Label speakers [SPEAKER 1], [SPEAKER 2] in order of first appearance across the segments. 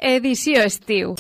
[SPEAKER 1] edició estiu.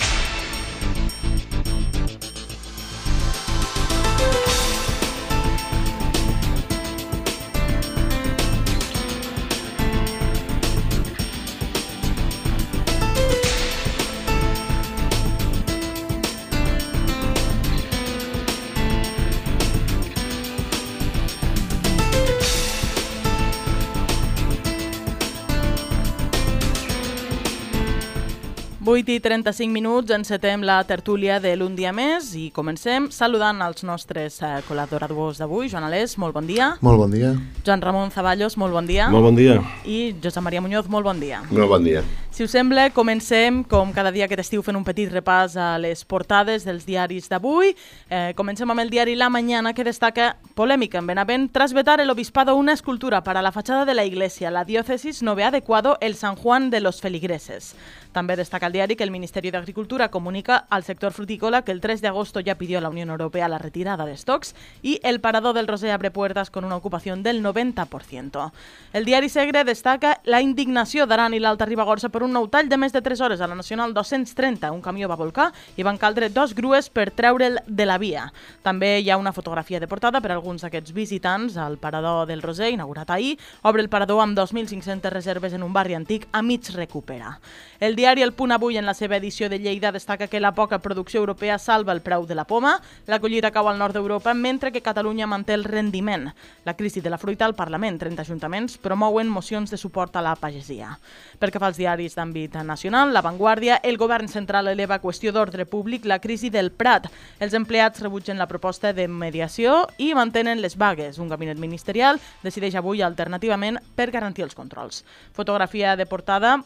[SPEAKER 2] I 35 minuts, encetem la tertúlia de l'Un dia més i comencem saludant els nostres col·laboradors d'avui. Joan Alès, molt bon dia.
[SPEAKER 3] Molt bon dia.
[SPEAKER 2] Joan Ramon Zaballos, molt bon dia.
[SPEAKER 4] Molt bon dia.
[SPEAKER 2] I Josep Maria Muñoz, molt bon dia.
[SPEAKER 4] Molt bon dia.
[SPEAKER 2] Si us sembla, comencem, com cada dia aquest estiu, fent un petit repàs a les portades dels diaris d'avui. Comencem amb el diari La Mañana, que destaca polèmica en Benavent tras vetar el obispado una escultura para la fachada de la iglesia. La diócesis no ve adecuado el San Juan de los Feligreses. També destaca el diari que el Ministerio de Agricultura comunica al sector frutícola que el 3 de agosto ya pidió a la Unión Europea la retirada de stocks y el Parador del Roser abre puertas con una ocupación del 90%. El diari Segre destaca la indignació d'Aran i l'Alta Ribagorça per un nou tall de més de 3 hores a la Nacional 230. Un camió va volcar i van caldre 2 grues per treure'l de la via. També hi ha una fotografia de portada per a alguns d'aquests visitants al Parador del Roser, inaugurat ahir. Obre el parador amb 2.500 reserves en un barri antic a mig recuperar. El diari El Punt Avui, en la seva edició de Lleida, destaca que la poca producció europea salva el preu de la poma, la collita cau al nord d'Europa, mentre que Catalunya manté el rendiment. La crisi de la fruita al Parlament, 30 ajuntaments promouen mocions de suport a la pagesia. Pel que fa als diaris d'àmbit nacional, La Vanguardia, el govern central eleva a qüestió d'ordre públic la crisi del Prat. Els empleats rebutgen la proposta de mediació i mantenen les vagues. Un gabinet ministerial decideix avui alternativament per garantir els controls. Fotografia de portada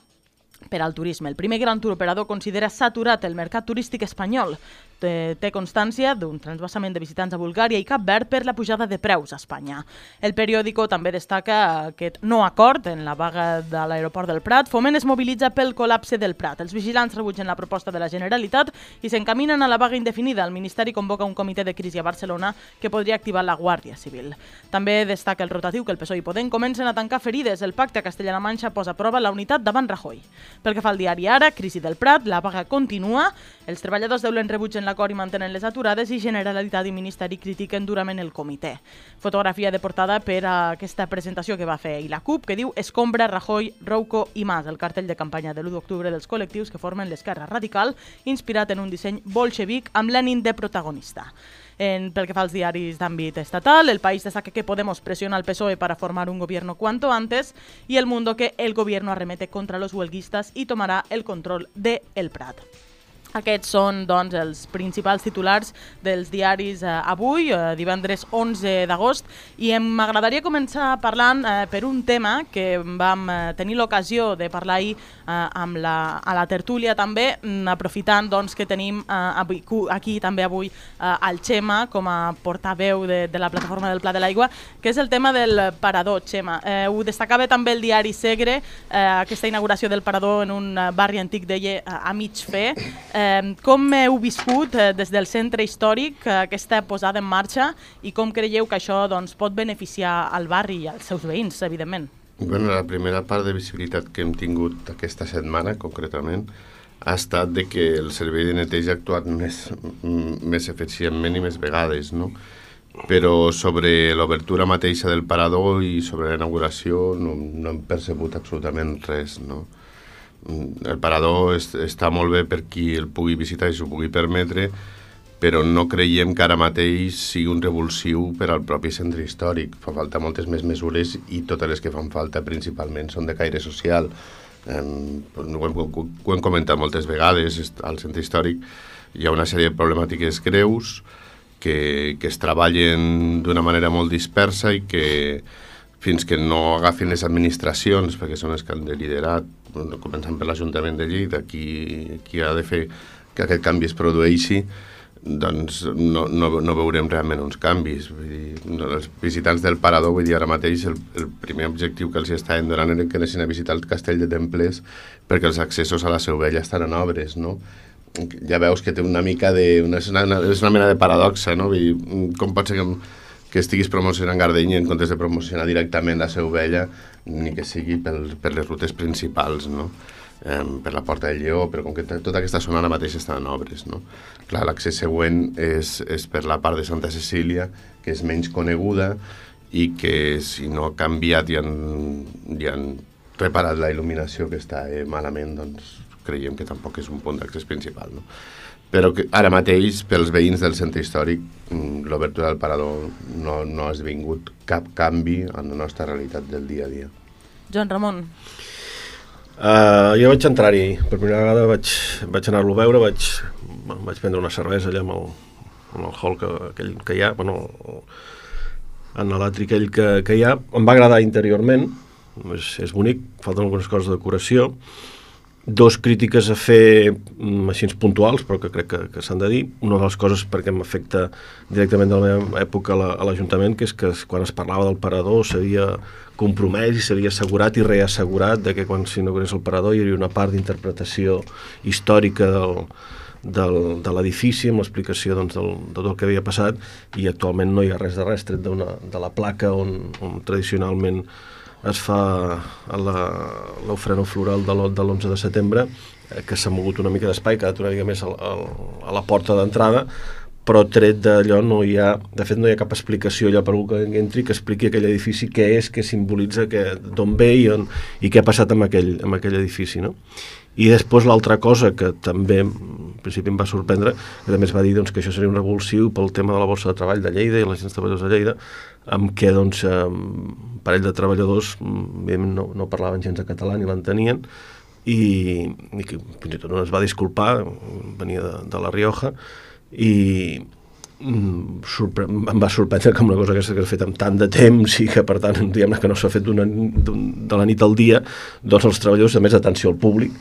[SPEAKER 2] per al turisme. El primer gran turoperador considera saturat el mercat turístic espanyol. Té constància d'un transvasament de visitants a Bulgària i Cap Verd per la pujada de preus a Espanya. El periòdico també destaca aquest no acord en la vaga de l'aeroport del Prat. Foment es mobilitza pel col·lapse del Prat. Els vigilants rebutgen la proposta de la Generalitat i s'encaminen a la vaga indefinida. El Ministeri convoca un comitè de crisi a Barcelona que podria activar la Guàrdia Civil. També destaca el rotatiu que el PSOE i Podem comencen a tancar ferides. El pacte a Castella-La Manxa posa a prova la unitat davant Rajoy. Pel que fa al diari Ara, crisi del Prat, la vaga continua. Els treballadors d'Eulen rebutgen l'acord i mantenen les aturades i Generalitat i Ministeri critiquen durament el comitè. Fotografia de portada per a aquesta presentació que va fer ahir la CUP, que diu Escombra, Rajoy, Rouco i Mas, el cartell de campanya de l'1 d'octubre dels col·lectius que formen l'esquerra radical, inspirat en un disseny bolxevic amb Lenin de protagonista. Pel que fa als diaris d'àmbit estatal, El País destaca que Podemos presiona al PSOE para formar un gobierno cuanto antes y El Mundo que el gobierno arremete contra los huelguistas y tomará el control de El Prat. Aquests són, doncs, els principals titulars dels diaris avui, divendres 11 d'agost, i m'agradaria començar parlant per un tema que vam tenir l'ocasió de parlar ahir a la tertúlia també, aprofitant doncs, que tenim aquí també avui el Xema com a portaveu de la plataforma del Pla de l'Aigua, que és el tema del parador. Xema, ho destacava també el diari Segre, aquesta inauguració del parador en un barri antic, deia, a mig fer. Com heu viscut des del centre històric aquesta posada en marxa i com creieu que això pot beneficiar al barri i als seus veïns, evidentment?
[SPEAKER 4] Bueno, la primera part de visibilitat que hem tingut aquesta setmana, concretament, ha estat de que el servei de neteja ha actuat més eficientment i més vegades, no? Però sobre l'obertura mateixa del parador i sobre la inauguració no hem percebut absolutament res, no? El parador està molt bé per qui el pugui visitar i s'ho pugui permetre, però no creiem que ara mateix sigui un revulsiu per al propi centre històric. Fa falta moltes més mesures i totes les que fan falta principalment són de caire social. Ho hem comentat moltes vegades, al centre històric hi ha una sèrie de problemàtiques greus que es treballen d'una manera molt dispersa i que fins que no agafin les administracions, perquè són les que han de liderar, començant per l'Ajuntament de Lleida, qui ha de fer que aquest canvi es produeixi, doncs no veurem realment uns canvis. Vull dir, els visitants del parador, vull dir, ara mateix el primer objectiu que els estaven donant era que anessin a visitar el castell de Templers perquè els accessos a la Seu Vella estan en obres, no? Ja veus que té una mica de... és una mena de paradoxa, no? Vull dir, com pot ser que estiguis promocionant Gardeny en comptes de promocionar directament la Seu Vella, ni que sigui per les rutes principals, no? per la Porta del Lleó, però com que tota aquesta zona ara mateix està en obres, no? Clar, l'accés següent és per la part de Santa Cecília, que és menys coneguda i que si no ha canviat i han reparat la il·luminació que està malament, doncs creiem que tampoc és un punt d'accés principal, no? Però que ara mateix, pels veïns del centre històric, l'obertura del parador no ha esdevingut cap canvi en la nostra realitat del dia a dia.
[SPEAKER 2] Joan Ramon.
[SPEAKER 1] Jo vaig entrar-hi, per primera vegada vaig anar-lo a veure, vaig prendre una cervesa allà en el hall aquell que hi ha, en l'atri aquell que hi ha. Em va agradar interiorment, és bonic, falten algunes coses de decoració. Dos crítiques a fer així puntuals, però que crec que s'han de dir. Una de les coses perquè m'afecta directament de la meva època a l'Ajuntament, que és que quan es parlava del parador s'havia compromès i s'havia assegurat i reassegurat de que quan s'inaugurés el parador hi hauria una part d'interpretació històrica de l'edifici amb l'explicació de tot el que havia passat, i actualment no hi ha res de res tret de la placa on tradicionalment es fa l'ofrena floral de l'11 de setembre, que s'ha mogut una mica d'espai, que ha quedat una mica més a la porta d'entrada, però tret d'allò no hi ha, de fet no hi ha cap explicació allò per algú que entri que expliqui aquell edifici què és, què simbolitza, d'on ve i què ha passat amb aquell edifici, no? I després l'altra cosa que també en principi em va sorprendre, que també es va dir que això seria un revulsiu pel tema de la borsa de treball de Lleida i les agents treballadors de Lleida, amb què un parell de treballadors no parlaven gens de català ni l'entenien, i que fins i tot es va disculpar, venia de La Rioja, i em va sorprendre que una cosa aquesta que s'ha fet amb tant de temps i que per tant diguem-ne que no s'ha fet de la nit al dia, doncs els treballadors, a més d'atenció al públic,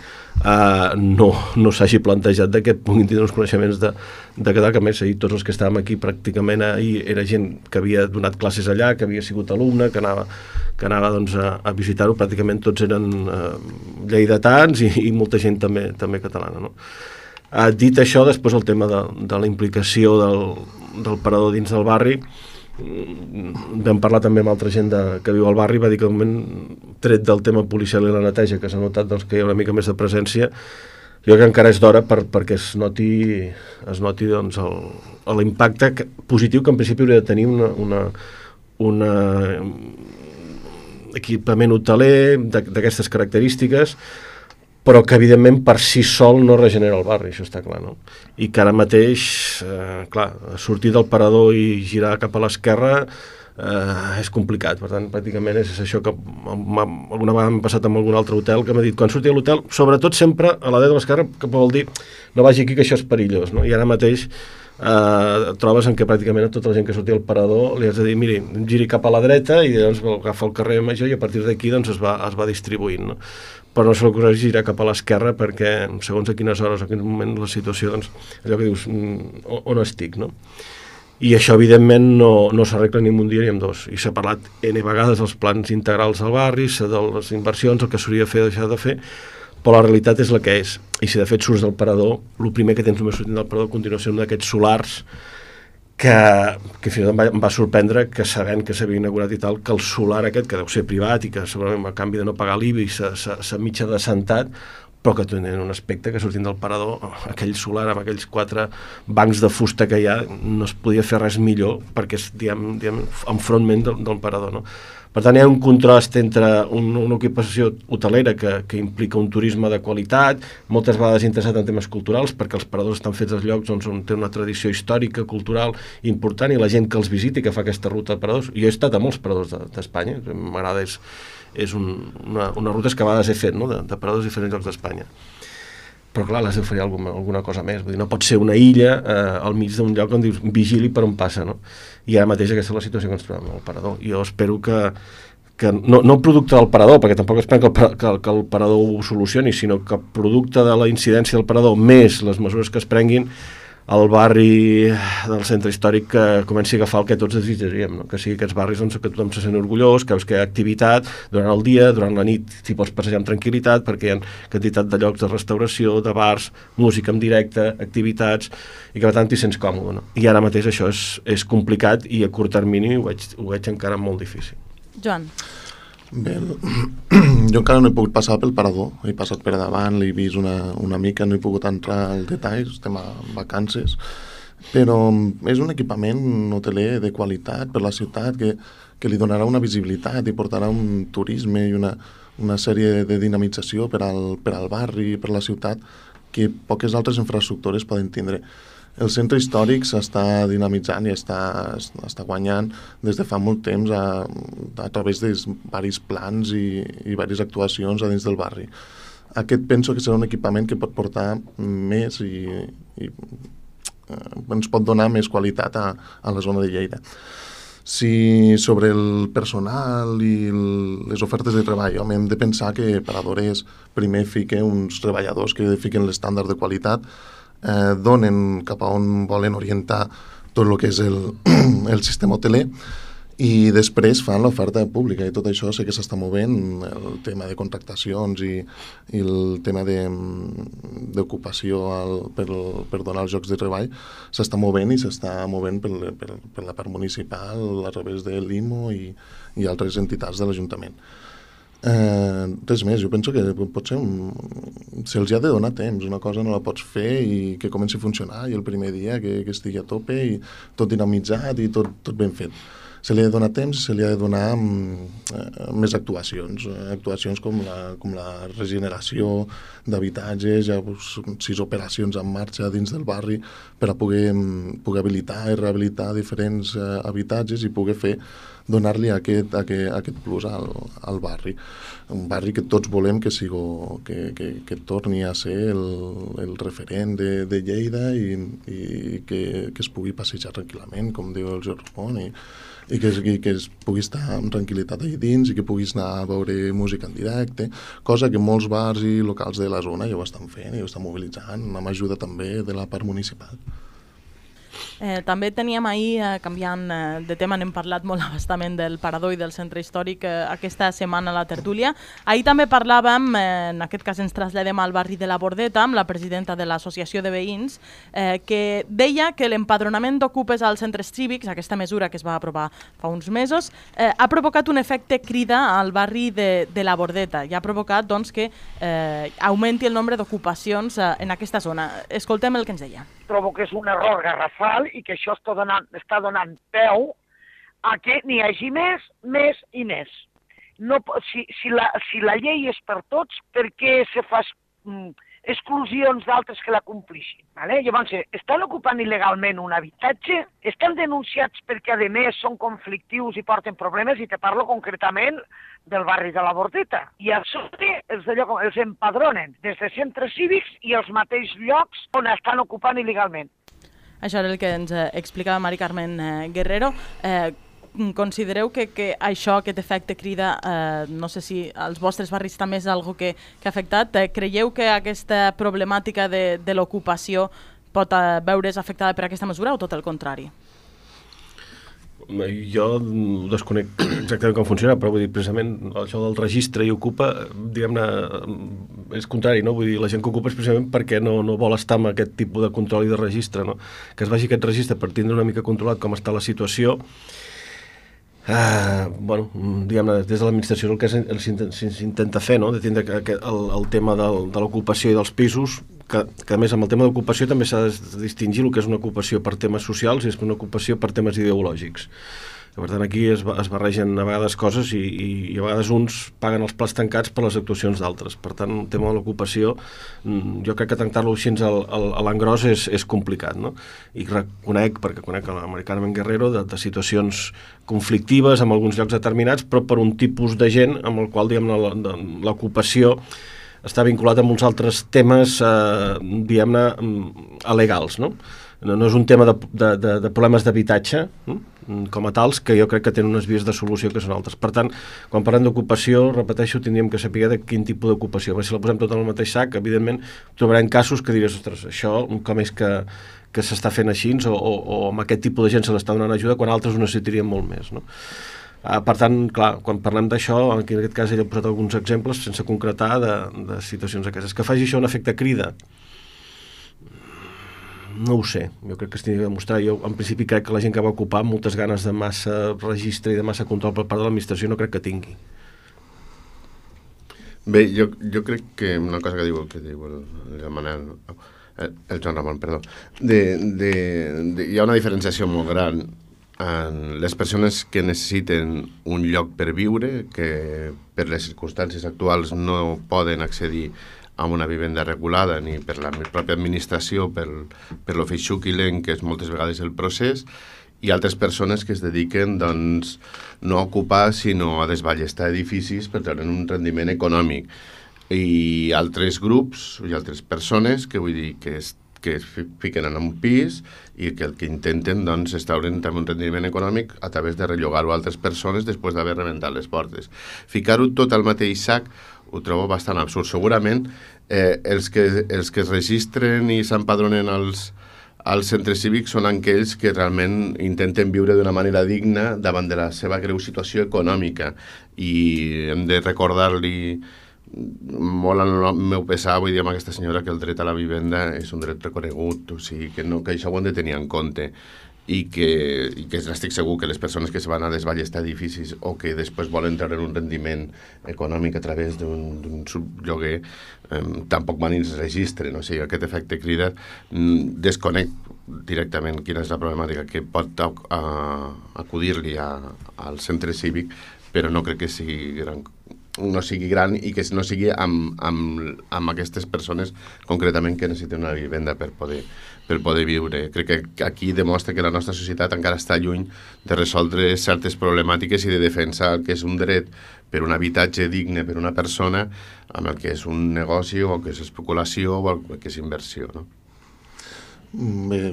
[SPEAKER 1] no s'hagi plantejat de que puguin tenir uns coneixements de català, que a més ahir tots els que estàvem aquí pràcticament ahir era gent que havia donat classes allà, que havia sigut alumne, que anava doncs, a visitar-ho, pràcticament tots eren lleidatans i molta gent també catalana, no? Dit això, després el tema de la implicació del parador dins del barri, vam parlar també amb altra gent que viu al barri, va dir que de moment, tret del tema policial i la neteja, que s'ha notat que hi ha una mica més de presència, jo crec que encara és d'hora perquè es noti l'impacte positiu que en principi hauria de tenir un equipament hoteler d'aquestes característiques, però que evidentment per si sol no regenera el barri, això està clar, no? I que ara mateix, clar, sortir del parador i girar cap a l'esquerra és complicat, per tant, pràcticament és això que alguna vegada m'ha passat amb algun altre hotel que m'ha dit, quan surti a l'hotel, sobretot sempre a la dreta de l'esquerra, que vol dir, no vagi aquí que això és perillós, no? I ara mateix trobes en què pràcticament a tota la gent que sortia al parador li has de dir, miri, giri cap a la dreta i doncs agafa el carrer Major i a partir d'aquí doncs es va distribuint, no? Però no se l'ocorreix girar cap a l'esquerra perquè segons a quines hores o a quin moment la situació, doncs, allò que dius, on estic, no? I això, evidentment, no s'arregla ni en un dia ni en dos. I s'ha parlat N vegades dels plans integrals al barri, de les inversions, el que s'hauria de fer o deixar de fer, però la realitat és la que és. I si de fet surts del parador, el primer que tens només sortint del parador continua sent un d'aquests solars que fins i tot em va sorprendre que sabent que s'havia inaugurat i tal, que el solar aquest, que deu ser privat i que segurament a canvi de no pagar l'IBI s'ha mitja descentat, però que tenen un aspecte que sortint del parador, aquell solar amb aquells 4 bancs de fusta que hi ha, no es podia fer res millor perquè és, diguem enfrontment del parador, no? Per tant, hi ha un contrast entre una ocupació hotelera que implica un turisme de qualitat, moltes vegades interessat en temes culturals, perquè els paradors estan fets als llocs on té una tradició històrica, cultural important, i la gent que els visita i que fa aquesta ruta de paradors. Jo he estat a molts paradors d'Espanya, m'agrada, és una ruta que a vegades he fet, no? de paradors de diferents llocs d'Espanya. Però clar, l'has d'oferir alguna cosa més. Vull dir, no pot ser una illa al mig d'un lloc on dius vigili per on passa, no? I ara mateix aquesta és la situació que ens trobem al parador. Jo espero que no producte del parador, perquè tampoc esperem que el parador ho solucioni, sinó que producte de la incidència del parador més les mesures que es prenguin, el barri del centre històric que comenci a agafar el que tots desitjaríem, no? Que sigui aquests barris on que tothom se sent orgullós, que veus que hi ha activitat durant el dia, durant la nit t'hi pots passejar amb tranquil·litat perquè hi ha quantitat de llocs de restauració, de bars, música en directe, activitats, i que per tant t'hi sents còmode, no? I ara mateix això és complicat i a curt termini ho veig encara molt difícil.
[SPEAKER 2] Joan.
[SPEAKER 3] Bé, jo encara no he pogut passar pel parador, he passat per davant, l'he vist una mica, no he pogut entrar al detall, estem a vacances, però és un equipament hoteler de qualitat per la ciutat que li donarà una visibilitat i portarà un turisme i una sèrie de dinamització per al barri, per la ciutat, que poques altres infraestructures poden tindre. El centre històric s'està dinamitzant i està guanyant des de fa molt temps a través de diversos plans i diverses actuacions a dins del barri. Aquest penso que serà un equipament que pot portar més i ens pot donar més qualitat a la zona de Lleida. Si sobre el personal i les ofertes de treball, home, hem de pensar que Paradores primer fiquen uns treballadors que fiquen l'estàndard de qualitat, donen cap a on volen orientar tot el que és el sistema hoteler i després fan l'oferta pública i tot això sé que s'està movent, el tema de contractacions i el tema d'ocupació per donar els llocs de treball s'està movent i s'està movent per la part municipal a través de l'IMO i altres entitats de l'Ajuntament. Res més, jo penso que potser se'ls ha de donar temps, una cosa no la pots fer i que comenci a funcionar i el primer dia que estigui a tope i tot dinamitzat i tot ben fet. Se li ha de donar temps i se li ha de donar més actuacions com la regeneració d'habitatges, ja 6 operacions en marxa dins del barri per a poder habilitar i rehabilitar diferents habitatges i poder donar-li aquest plus al barri. Un barri que tots volem que torni a ser el referent de Lleida i que es pugui passejar tranquil·lament, com diu el Jordi Ramon, i que es pugui estar amb tranquil·litat allà dins i que puguis anar a veure música en directe, cosa que molts bars i locals de la zona ja ho estan fent i ho estan mobilitzant, amb ajuda també de la part municipal.
[SPEAKER 2] També teníem ahir, canviant de tema, n'hem parlat molt abastament del Parador i del centre històric aquesta setmana a la tertúlia. Ahir també parlàvem, en aquest cas ens traslladem al barri de la Bordeta, amb la presidenta de l'Associació de Veïns, que deia que l'empadronament d'ocupes als centres cívics, aquesta mesura que es va aprovar fa uns mesos, ha provocat un efecte crida al barri de la Bordeta i ha provocat que augmenti el nombre d'ocupacions en aquesta zona. Escoltem el que ens deia.
[SPEAKER 5] Trobo que és un error garrafal i que això està donant peu a que n'hi hagi més i més. No, si la llei és per tots, per què se fa exclusions d'altres que la complixin? Vale? Llavors, estan ocupant il·legalment un habitatge, estan denunciats perquè, a més, són conflictius i porten problemes, i te parlo concretament del barri de la Bordeta. I a sobre els empadronen des de centres cívics i els mateixos llocs on estan ocupant il·legalment.
[SPEAKER 2] Això era el que ens explicava Mari Carmen Guerrero. Considereu que això, aquest efecte crida, no sé si als vostres barris també és algo que ha afectat? Creieu que aquesta problemàtica de l'ocupació pot veure's afectada per aquesta mesura o tot el contrari?
[SPEAKER 1] Jo desconec exactament com funciona, però vull dir, precisament això del registre i ocupa, diguem-ne, és contrari, no? Vull dir, la gent que ocupa és precisament perquè no vol estar amb aquest tipus de control i de registre, no? Que es vagi aquest registre per tindre una mica controlat com està la situació. Bueno, diguem-ne, des de l'administració el que s'intenta fer, no? De tindre el tema de l'ocupació i dels pisos, que a més amb el tema d'ocupació també s'ha de distingir el que és una ocupació per temes socials i és una ocupació per temes ideològics. Per tant, aquí es barregen a vegades coses i a vegades uns paguen els plats tancats per les actuacions d'altres. Per tant, el tema de l'ocupació, jo crec que tractar-lo així a l'engròs és complicat, no? I reconec, perquè conec a la Mari Carmen Guerrero, de situacions conflictives en alguns llocs determinats, però per un tipus de gent amb el qual, diguem-ne, l'ocupació està vinculat amb uns altres temes, diguem-ne, alegals, no? No és un tema de problemes d'habitatge com a tals, que jo crec que tenen unes vies de solució que són altres. Per tant, quan parlem d'ocupació, repeteixo, tindríem que saber de quin tipus d'ocupació. Si la posem tot en el mateix sac, evidentment trobarem casos que diràs, ostres, això com és que s'està fent així o amb aquest tipus de gent se l'està donant ajuda quan altres ho necessitarien molt més, no? Per tant, clar, quan parlem d'això, aquí en aquest cas ell ha posat alguns exemples sense concretar de situacions aquestes. Que faci això un efecte crida? No ho sé, jo crec que es tindria de demostrar. Jo en principi crec que la gent que va ocupar moltes ganes de massa registre i de massa control per part de l'administració no crec que tingui.
[SPEAKER 4] Bé, jo crec que una cosa que diu el Manel, el Joan Ramon, perdó, hi ha una diferenciació molt gran en les persones que necessiten un lloc per viure, que per les circumstàncies actuals no poden accedir a una vivenda regulada ni per la pròpia administració, per lo feixuc i lent que és moltes vegades el procés, i altres persones que es dediquen doncs, no a ocupar sinó a desballestar edificis per treure un rendiment econòmic, i altres grups i altres persones que vull dir que es fiquen en un pis i que el que intenten doncs, és treure'n també un rendiment econòmic a través de rellogar-ho a altres persones després d'haver rebentat les portes. Ficar-ho tot al mateix sac ho trobo bastant absurd. Segurament els que es registren i s'empadronen als centres cívics són aquells que realment intenten viure d'una manera digna davant de la seva greu situació econòmica, i hem de recordar-li molt al meu pesar, vull dir, amb aquesta senyora, que el dret a la vivenda és un dret reconegut, o sigui, que això ho hem de tenir en compte, i que estic segur que les persones que se van a desballestar edificis o que després volen treure un rendiment econòmic a través d'un sublloguer tampoc van i es registren. O sigui, aquest efecte crida desconec directament quina és la problemàtica que pot acudir-li al centre cívic, però no crec que sigui gran i que no sigui amb aquestes persones concretament que necessiten una vivenda per poder viure. Crec que aquí demostra que la nostra societat encara està lluny de resoldre certes problemàtiques i de defensar el que és un dret per un habitatge digne per una persona amb el que és un negoci o el que és especulació o el que és inversió, no?
[SPEAKER 3] Bé,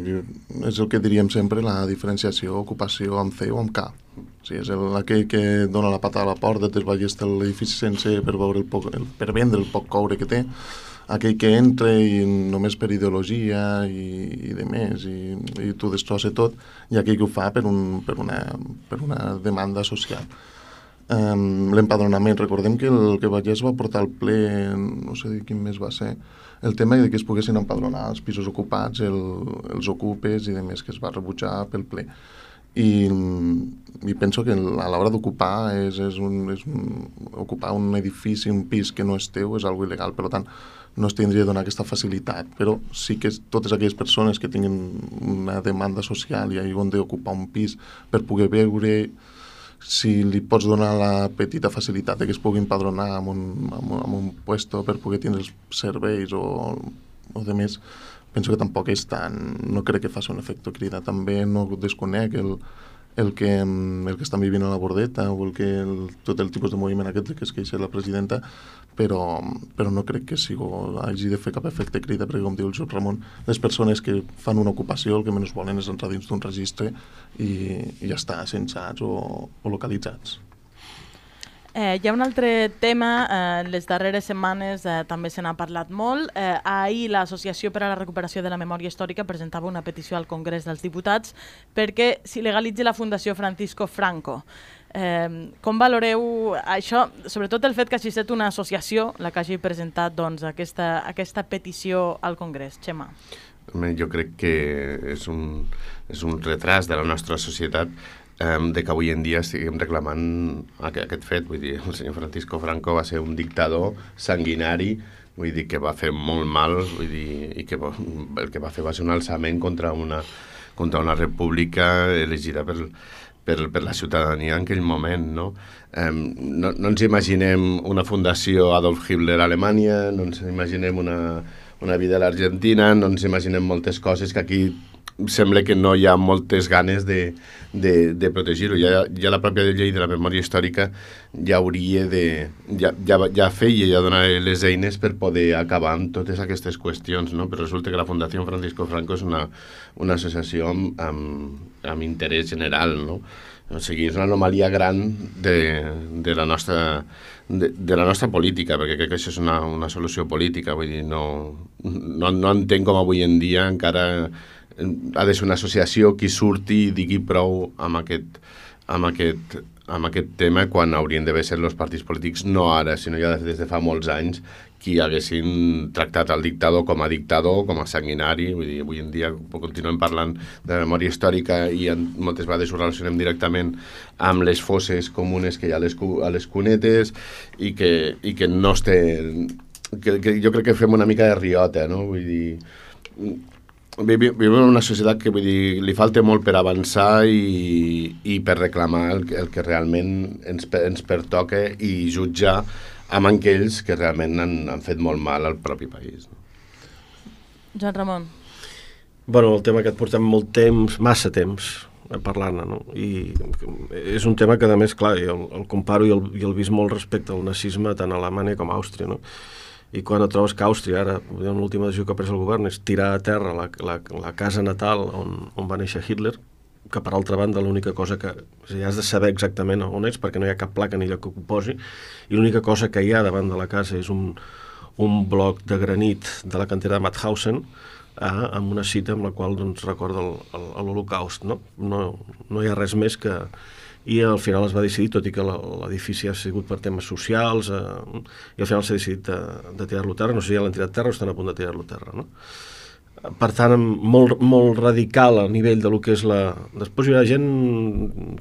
[SPEAKER 3] és el que diríem sempre, la diferenciació, ocupació amb C o amb K. O sigui, és aquell que dona la pata a la porta, desballesta l'edifici sencer per vendre el poc coure que té, aquell que entra i només per ideologia i de més, i t'ho destrossa tot, i aquell que ho fa per una demanda social. L'empadronament, recordem que el que Vallès va portar al ple, no sé quin mes va ser, el tema de que es poguessin empadronar els pisos ocupats, els ocupes i de més, que es va rebutjar pel ple. I penso que a l'hora d'ocupar ocupar un edifici, un pis que no és teu, és algo il·legal, per tant no es tindria de donar aquesta facilitat, però sí que totes aquelles persones que tinguin una demanda social i han d'ocupar un pis per poder veure, si li pots donar la petita facilitat que es pugui empadronar amb un puesto per poder tindre els serveis o de més, penso que tampoc és tan... no crec que faci un efecte crida. També no desconec el que estan vivint a la Bordeta o tot el tipus de moviment aquest que es queixa la presidenta, però no crec que hagi de fer cap efecte crida, perquè com diu el Joan Ramon, les persones que fan una ocupació el que menys volen és entrar dins d'un registre i ja està, censats o localitzats.
[SPEAKER 2] Hi ha un altre tema, les darreres setmanes també se n'ha parlat molt. Ahir l'Associació per a la Recuperació de la Memòria Històrica presentava una petició al Congrés dels Diputats perquè s'il·legalitzi la Fundació Francisco Franco. Com valoreu això, sobretot el fet que hagi estat una associació la que hagi presentat aquesta petició al Congrés? Xema.
[SPEAKER 4] Jo crec que és un retras de la nostra societat de que avui en dia estiguem reclamant aquest fet. Vull dir, el senyor Francisco Franco va ser un dictador sanguinari, vull dir, que va fer molt mal, vull dir, i que el que va fer va ser un alçament contra una república elegida per la ciutadania en aquell moment, no? No ens imaginem una fundació Adolf Hitler a Alemanya, no ens imaginem una vida a l'Argentina, no ens imaginem moltes coses que aquí sembla que no hi ha moltes ganes de protegir-ho. Ja la pròpia llei de la memòria històrica ja hauria ja feia, ja donava les eines per poder acabar amb totes aquestes qüestions, no? Però resulta que la Fundació Francisco Franco és una associació amb interès general, no? O sigui, és una anomalia gran de la nostra política, perquè crec que això és una solució política. Vull dir, no entenc com avui en dia encara ha de ser una associació qui surti i digui prou amb aquest amb aquest tema quan haurien d'haver ser els partits polítics, no ara, sinó ja des de fa molts anys, qui haguessin tractat el dictador, com a sanguinari. Vull dir, avui en dia continuem parlant de memòria històrica i moltes vegades ho relacionem directament amb les fosses comunes que hi ha a les cunetes i que no es té... Que jo crec que fem una mica de riota, no? Vull dir... Vivim en una societat que, vull dir, li falta molt per avançar i per reclamar el que realment ens pertoca i jutjar amb aquells que realment han fet molt mal al propi país.
[SPEAKER 2] Joan Ramon.
[SPEAKER 1] Bueno, el tema que et portem molt temps, massa temps, parlant-ne, no? I és un tema que, a més, clar, jo el comparo i el vist molt respecte al nazisme tant a Alemanya com a Àustria, no? I quan et trobes que Àustria, ara, l'última decisió que ha pres el govern és tirar a terra la casa natal on va néixer Hitler, que per altra banda l'única cosa que... O sigui, has de saber exactament on ets perquè no hi ha cap placa ni lloc que ho posi, i l'única cosa que hi ha davant de la casa és un bloc de granit de la cantera de Mauthausen, amb una cita amb la qual doncs, recorda l'Holocaust. No hi ha res més que... I al final es va decidir, tot i que l'edifici ha sigut per temes socials, i al final s'ha decidit de tirar-lo a terra. No sé si ja l'han tirat a terra o estan a punt de tirar-lo a terra, no? Per tant, molt radical a nivell de lo que és la... Després hi haurà gent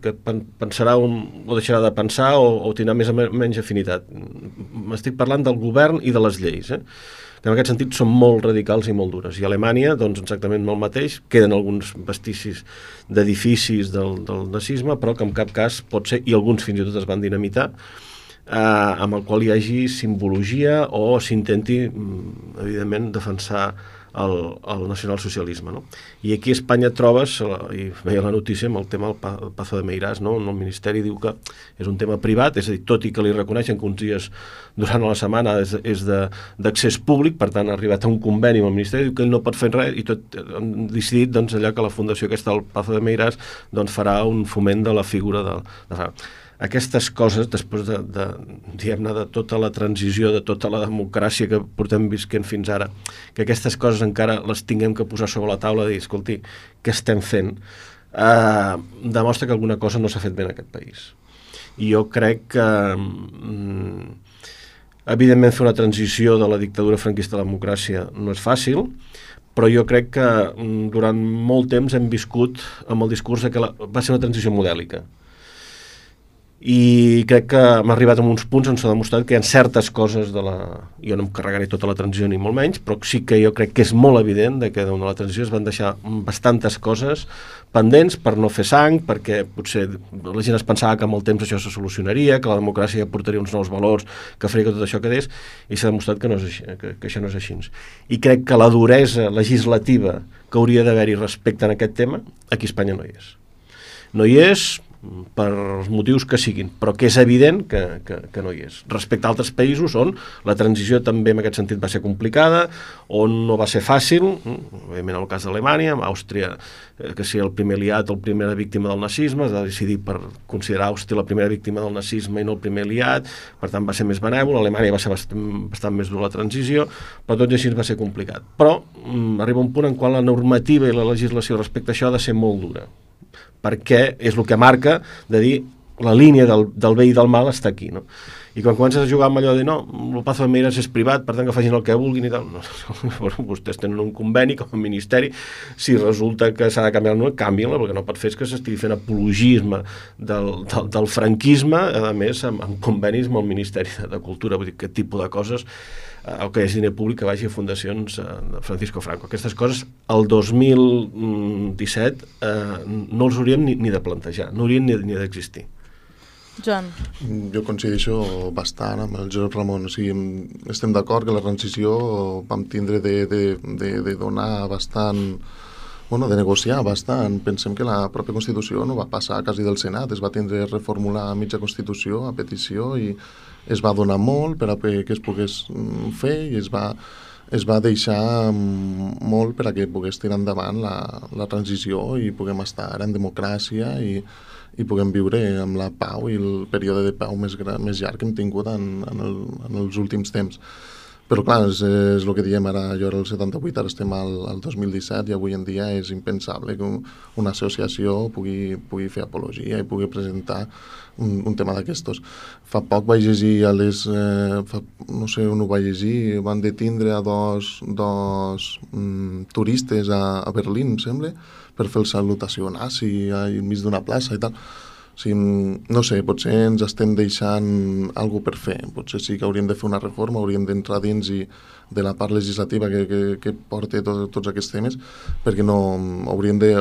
[SPEAKER 1] que pensarà o deixarà de pensar o tindrà més o menys afinitat. M'estic parlant del govern i de les lleis, que en aquest sentit són molt radicals i molt dures. I a Alemanya, doncs exactament el mateix, queden alguns vestigis d'edificis del nazisme, però que en cap cas pot ser, i alguns fins i tot es van dinamitar, amb el qual hi hagi simbologia o s'intenti, evidentment, defensar el nacionalsocialisme, no? I aquí a Espanya trobes, i veia la notícia amb el tema del Pazo de Meirás, no? El Ministeri diu que és un tema privat, és a dir, tot i que li reconeixen que uns dies durant la setmana és d'accés públic, per tant ha arribat a un conveni amb el Ministeri, diu que ell no pot fer res, i tot han decidit doncs, allà que la fundació aquesta del Pazo de Meirás doncs, farà un foment de la figura de aquestes coses, després diguem-ne, de tota la transició, de tota la democràcia que portem visquent fins ara, que aquestes coses encara les tinguem que posar sobre la taula i dir, escolti, què estem fent? Demostra que alguna cosa no s'ha fet bé en aquest país. I jo crec que, evidentment, fer una transició de la dictadura franquista a la democràcia no és fàcil, però jo crec que durant molt temps hem viscut amb el discurs que va ser una transició modèlica. I crec que hem arribat a uns punts on s'ha demostrat que hi ha certes coses jo no em carregaré tota la transició ni molt menys, però sí que jo crec que és molt evident que de la transició es van deixar bastantes coses pendents per no fer sang, perquè potser la gent es pensava que amb el temps això se solucionaria, que la democràcia portaria uns nous valors, que faria que tot això quedés, i s'ha demostrat que això no és així. I crec que la duresa legislativa que hauria d'haver-hi respecte en aquest tema, aquí a Espanya no hi és. No hi és per els motius que siguin, però que és evident que no hi és. Respecte a altres països on la transició també en aquest sentit va ser complicada, on no va ser fàcil, òbviament en el cas d'Alemanya, amb Àustria, que sigui el primer aliat o la primera víctima del nazisme, es va decidir per considerar Àustria la primera víctima del nazisme i no el primer aliat, per tant va ser més benèvol, Alemanya va ser bastant més dura la transició, però tot i així va ser complicat. Però arriba un punt en qual la normativa i la legislació respecte a això ha de ser molt dura, perquè és el que marca de dir la línia del bé i del mal està aquí, no? I quan comences a jugar amb allò de no, el Pazo de Meirás és privat, per tant que facin el que vulguin i tal, no, vostès tenen un conveni com a ministeri, si resulta que s'ha de canviar el nom, canvien-la, perquè no pot fer que s'estigui fent apologisme del franquisme, a més amb convenis amb el Ministeri de Cultura, vull dir, aquest tipus de coses, o que hi hagi diner públic que vagi a fundacions de Francisco Franco. Aquestes coses el 2017 no els hauríem ni de plantejar, no haurien ni d'existir.
[SPEAKER 2] Joan.
[SPEAKER 3] Jo coincideixo bastant amb el Josep Ramon. O sigui, estem d'acord que la transició vam tindre de donar bastant... Bueno, de negociar bastant. Pensem que la pròpia Constitució no va passar quasi del Senat, es va tindre a reformular mitja Constitució a petició i es va donar molt per a que es pogués fer i es va deixar molt per a que pogués tirar endavant la transició i puguem estar ara en democràcia i puguem viure amb la pau i el període de pau més llarg que hem tingut en els últims temps. Però clar, és el que diem ara, jo era el 78, ara estem al 2017 i avui en dia és impensable que una associació pugui fer apologia i pugui presentar un tema d'aquestos. Fa poc vaig llegir no sé on ho vaig llegir, van detindre a dos turistes a Berlín, em sembla, per fer el salutació nazi enmig d'una plaça i tal. O sigui, no sé, potser ens estem deixant alguna per fer. Potser sí que hauríem de fer una reforma, hauríem d'entrar dins de la part legislativa que porta tots aquests temes, perquè no hauríem de,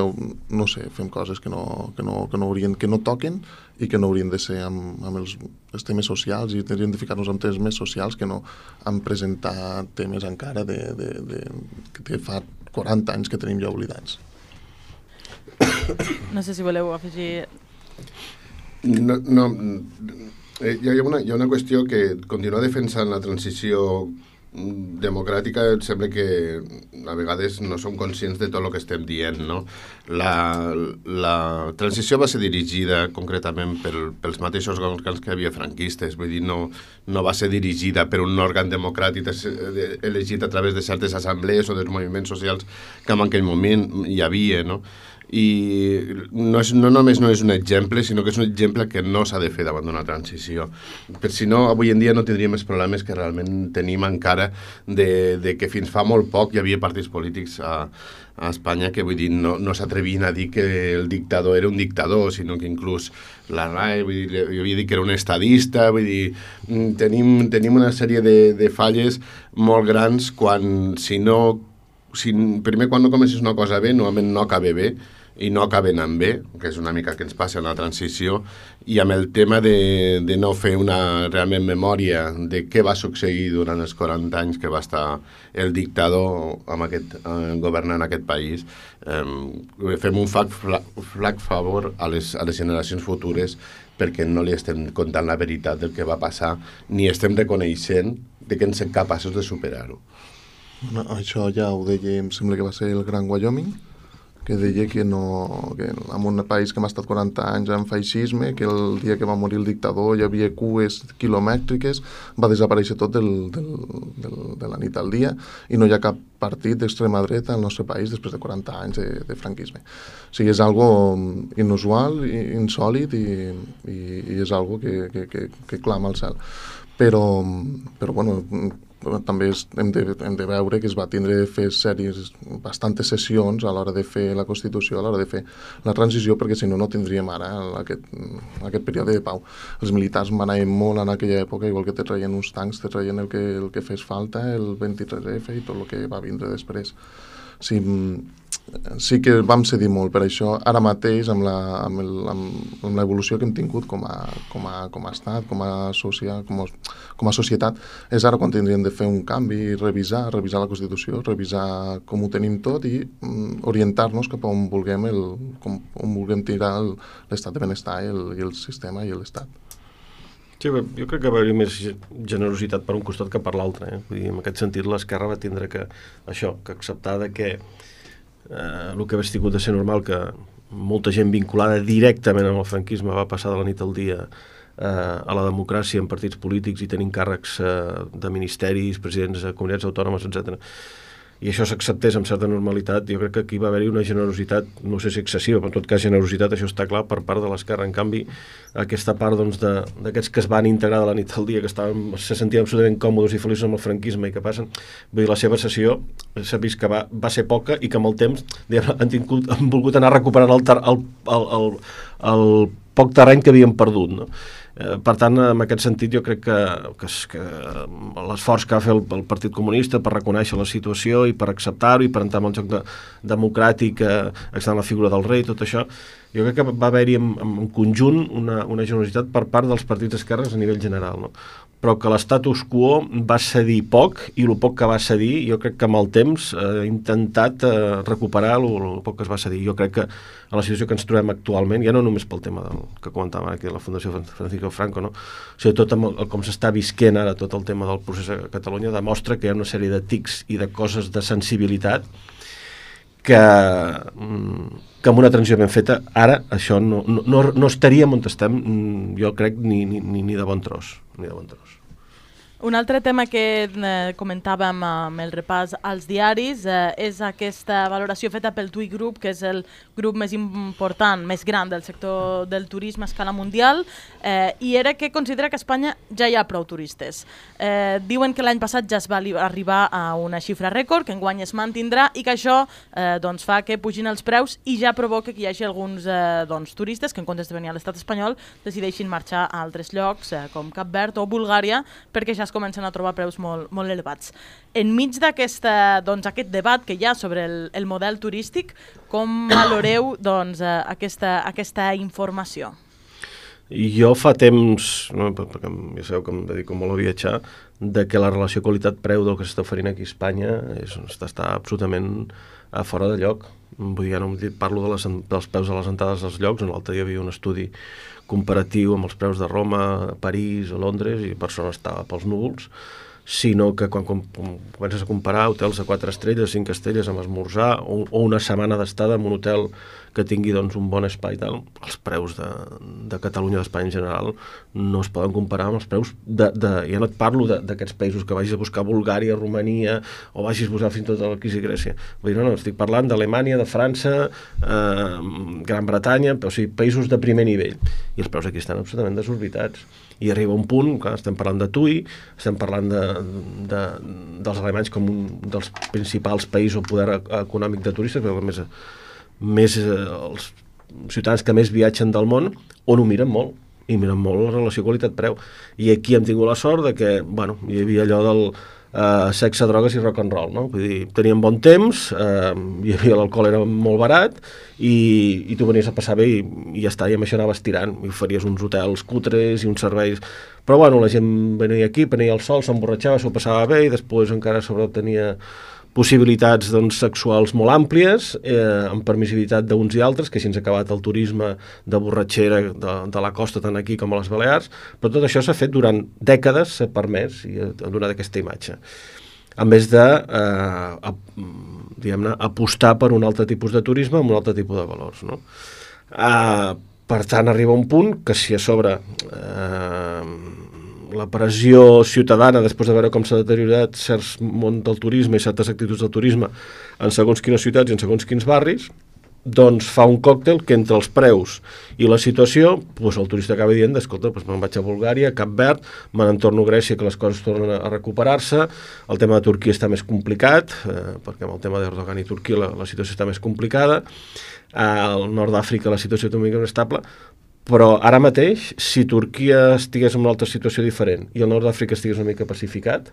[SPEAKER 3] no sé, fem coses que no toquen i que no haurien de ser amb els temes socials, i hauríem de ficar-nos amb temes més socials que no en presentar temes encara que fa 40 anys que tenim ja oblidats.
[SPEAKER 2] No sé si voleu afegir...
[SPEAKER 4] No, hi ha una qüestió que continuar defensant la transició democràtica. Em sembla que a vegades no som conscients de tot el que estem dient, no? La transició va ser dirigida concretament pels mateixos òrgans que hi havia franquistes, vull dir, no va ser dirigida per un òrgan democràtic elegit a través de certes assemblees o dels moviments socials que en aquell moment hi havia, no? I no només no és un exemple, sinó que és un exemple que no s'ha de fer davant d'una transició. Per si no, avui en dia no tindríem els problemes que realment tenim encara de que fins fa molt poc hi havia partits polítics a Espanya que, vull dir, no s'atrevien a dir que el dictador era un dictador, sinó que inclús la RAE, vull dir, jo havia dit que era un estadista, vull dir, tenim una sèrie de falles molt grans primer, quan no comences una cosa bé, normalment no acaba bé, i no acaben amb bé, que és una mica que ens passa en la transició, i amb el tema de no fer una realment memòria de què va succeir durant els 40 anys que va estar el dictador governant aquest país. Fem un flac favor a les generacions futures, perquè no li estem contant la veritat del que va passar, ni estem reconeixent que ens som capaços de superar-ho.
[SPEAKER 3] No, això ja ho deia, em sembla que va ser el Gran Wyoming, que deia que en un país que hem estat 40 anys en feixisme, que el dia que va morir el dictador hi havia cues quilomètriques, va desaparèixer tot de la nit al dia, i no hi ha cap partit d'extrema dreta al nostre país després de 40 anys de franquisme. O sigui, és algo inusual, insòlid, i és algo que clama al cel. Però bueno, també hem de veure que es va tindre de fer bastantes sessions a l'hora de fer la Constitució, a l'hora de fer la transició, perquè si no tindríem ara aquest període de pau. Els militars manaven molt en aquella època, igual que te traien uns tancs, te traien el que fes falta, el 23F i tot el que va vindre després. Sí que vam cedir molt per això. Ara mateix, amb l'evolució que hem tingut com a estat, com a societat, és ara quan tindríem de fer un canvi, revisar la Constitució, revisar com ho tenim tot i orientar-nos cap a on vulguem tirar l'estat de benestar i el sistema i l'Estat.
[SPEAKER 1] Sí, jo crec que va haver més generositat per un costat que per l'altre. Vull dir, en aquest sentit, l'Esquerra va tindre que acceptar que el que hagués tingut de ser normal, que molta gent vinculada directament amb el franquisme va passar de la nit al dia a la democràcia en partits polítics i tenint càrrecs de ministeris, presidents de comunitats autònomes, etc. I això s'acceptés amb certa normalitat. Jo crec que aquí va haver-hi una generositat, no sé si excessiva, però en tot cas generositat, això està clar, per part de l'Esquerra. En canvi, aquesta part d'aquests que es van integrar de la nit al dia, que se sentien absolutament còmodes i feliços amb el franquisme i que passen, vull dir, la seva sessió s'ha vist que va ser poca i que amb el temps han volgut anar recuperant el poc terreny que havien perdut, no? Per tant, en aquest sentit, jo crec que l'esforç que va fer el Partit Comunista per reconèixer la situació i per acceptar-ho i per entrar en el joc democràtic, acceptant la figura del rei, tot això, jo crec que va haver-hi en conjunt una generositat per part dels partits d'esquerres a nivell general, no? Però que l'estatus quo va cedir poc, i el poc que va cedir, jo crec que amb el temps ha intentat recuperar el poc que es va cedir. Jo crec que en la situació que ens trobem actualment, ja no només pel tema que comentàvem aquí de la Fundació Francisco Franco, no? O sigui, tot com s'està visquent ara tot el tema del procés a Catalunya demostra que hi ha una sèrie de tics i de coses de sensibilitat que amb una transició ben feta, ara això no estaríem on estem, jo crec, ni de bon tros.
[SPEAKER 2] Un altre tema que comentàvem amb el repàs als diaris és aquesta valoració feta pel TUI Group, que és el grup més important, més gran del sector del turisme a escala mundial, i era que considera que a Espanya ja hi ha prou turistes. Diuen que l'any passat ja es va arribar a una xifra rècord, que enguany es mantindrà i que això fa que pugin els preus i ja provoca que hi hagi alguns turistes que en comptes de venir a l'estat espanyol decideixin marxar a altres llocs com Cap Verd o Bulgària perquè ja es comencen a trobar preus molt elevats. Enmig d'aquest debat que hi ha sobre el model turístic, com valoreu aquesta informació?
[SPEAKER 1] Jo fa temps, perquè ja sabeu que em dedico molt a viatjar, de que la relació qualitat-preu del que s'està oferint aquí a Espanya està absolutament fora de lloc. Vull dir, ja no parlo dels preus a les entrades dels llocs, on l'altre dia hi havia un estudi comparatiu amb els preus de Roma, París o Londres, i per això no estava pels núvols, sinó que quan comences a comparar hotels de 4 estrelles, 5 estrelles amb esmorzar o una setmana d'estada en un hotel que tingui un bon espai i tal, els preus de Catalunya, d'Espanya en general, no es poden comparar amb els preus ja no et parlo d'aquests països que vagis a buscar Bulgària, Romania, o vagis a buscar fins i tot aquí a Grècia. Vull dir, no, estic parlant d'Alemanya, de França, Gran Bretanya, o sigui, països de primer nivell. I els preus aquí estan absolutament desorbitats. I arriba un punt, clar, estem parlant de TUI, estem parlant dels alemanys com un dels principals països o poder econòmic de turistes, però els ciutadans que més viatgen del món, on ho miren molt, i miren molt la relació qualitat-preu. I aquí hem tingut la sort de que, hi havia allò del sexe, drogues i rock and roll, no? Vull dir, teníem bon temps, hi havia l'alcohol era molt barat, i tu venies a passar bé i ja està, i amb això anaves tirant, i oferies uns hotels cutres i uns serveis, però la gent venia aquí, prenia el sol, s'emborratxava, s'ho passava bé, i després encara sobretot tenia possibilitats sexuals molt àmplies, amb permissivitat d'uns i altres, que així ens ha acabat el turisme de borratxera de la costa tant aquí com a les Balears, però tot això s'ha fet durant dècades, s'ha permès i ha donat aquesta imatge. A més de apostar per un altre tipus de turisme amb un altre tipus de valors, no? Per tant, arriba un punt que si a sobre la pressió ciutadana, després de veure com s'ha deteriorat certs món del turisme i certes actituds del turisme en segons quines ciutats i en segons quins barris, doncs fa un còctel que entre els preus i la situació, el turista acaba dient, escolta, me'n vaig a Bulgària, a Cap Verd, me n'entorno a Grècia, que les coses tornen a recuperar-se, el tema de Turquia està més complicat, perquè amb el tema d'Erdogan i Turquia la situació està més complicada, al nord d'Àfrica la situació també és estable, però ara mateix, si Turquia estigués en una altra situació diferent i el nord d'Àfrica estigués una mica pacificat,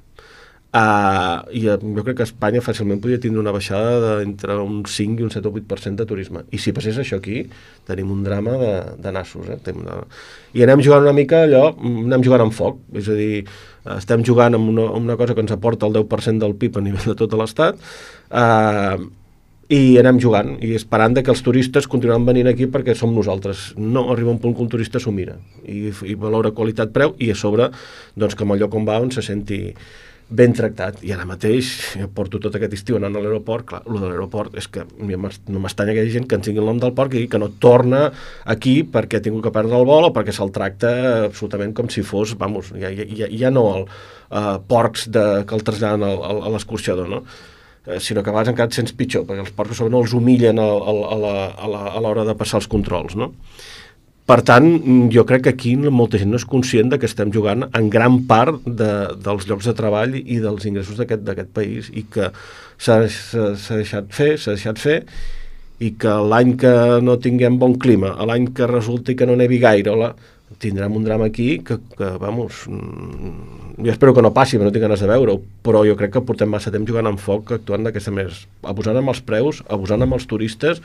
[SPEAKER 1] jo crec que Espanya fàcilment podria tindre una baixada d'entre un 5 i un 7 o 8% de turisme. I si passés això aquí, tenim un drama de nassos. I anem jugant una mica allò, anem jugant amb foc. És a dir, estem jugant amb una cosa que ens aporta el 10% del PIB a nivell de tot l'Estat, i anem jugant i esperant que els turistes continuaran venint aquí perquè som nosaltres. No, arriba un punt que un turista s'ho mira i valora qualitat-preu i a sobre que en el lloc on va se senti ben tractat. I ara mateix jo porto tot aquest estiu anant a l'aeroport. Clar, el de l'aeroport és que no m'estanya que hi hagi gent que ens tingui el nom del port i que no torna aquí perquè ha tingut que perdre el vol o perquè se'l tracta absolutament com si fos, ja no porcs que el traslladen a l'escorxador, no? Sinó que a vegades encara et sents pitjor, perquè els porcs no els humillen a l'hora de passar els controls, no? Per tant, jo crec que aquí molta gent no és conscient que estem jugant en gran part dels llocs de treball i dels ingressos d'aquest país i que s'ha deixat fer i que l'any que no tinguem bon clima, l'any que resulti que no nevi gaire, tindrem un drama aquí que jo espero que no passi, però no tinc ganes de veure-ho, però jo crec que portem massa temps jugant amb foc, actuant d'aquesta manera, abusant amb els preus, abusant amb els turistes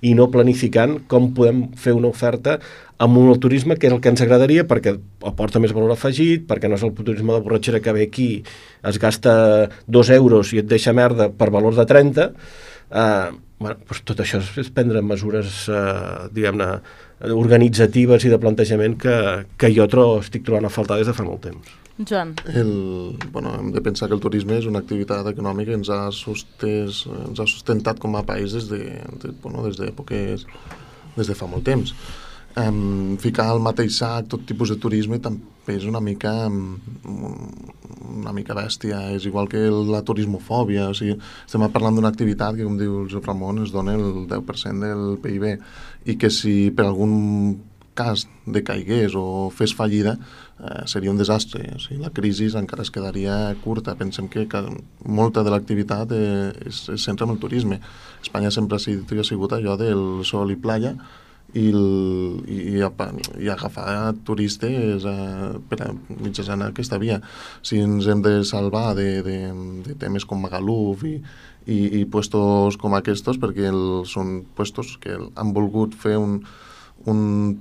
[SPEAKER 1] i no planificant com podem fer una oferta amb un turisme que és el que ens agradaria perquè aporta més valor afegit, perquè no és el turisme de borratxera que ve aquí, es gasta 2 euros i et deixa merda per valor de 30, tot això és prendre mesures, diguem-ne, organitzatives i de plantejament que jo estic trobant a faltar des de fa molt temps.
[SPEAKER 2] Joan.
[SPEAKER 3] Hem de pensar que el turisme és una activitat econòmica que ens ha sustentat com a país des de fa molt temps. ficar al mateix sac tot tipus de turisme també és una mica bèstia. És igual que la turismofòbia. O sigui, estem parlant d'una activitat que, com diu el Josep Ramon, es dona el 10% del PIB, i que si per algun cas decaigués o fes fallida, seria un desastre. O sigui, la crisi encara es quedaria curta. Pensem que molta de l'activitat es centra en el turisme. Espanya sempre ha sigut allò del sol i playa, i agafar turistes per mitjançant aquesta via. Si ens hem de salvar de temes com Magaluf i puestos com aquests, perquè són puestos que han volgut fer un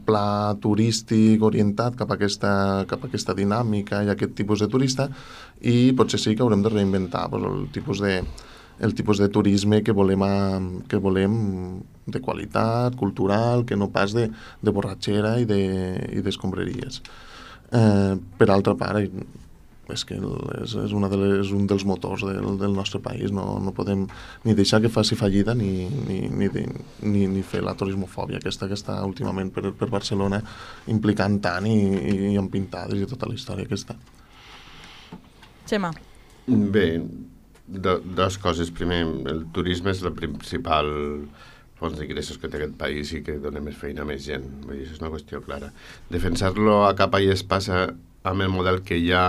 [SPEAKER 3] pla turístic orientat cap a aquesta dinàmica i aquest tipus de turista, i potser sí que haurem de reinventar el tipus de turisme que volem de qualitat, cultural, que no pas de borratxera i d'escombraries. Per altra part, és que és un dels motors del nostre país. No podem ni deixar que faci fallida ni fer la turismofòbia aquesta que està últimament per Barcelona implicant tant i amb pintades i tota la història aquesta.
[SPEAKER 2] Xema.
[SPEAKER 4] Bé, dues coses. Primer, el turisme és la principal fons d'ingressos que té aquest país i que dona més feina a més gent. Vull dir, és una qüestió clara. Defensar-lo a capa i espasa amb el model que hi ha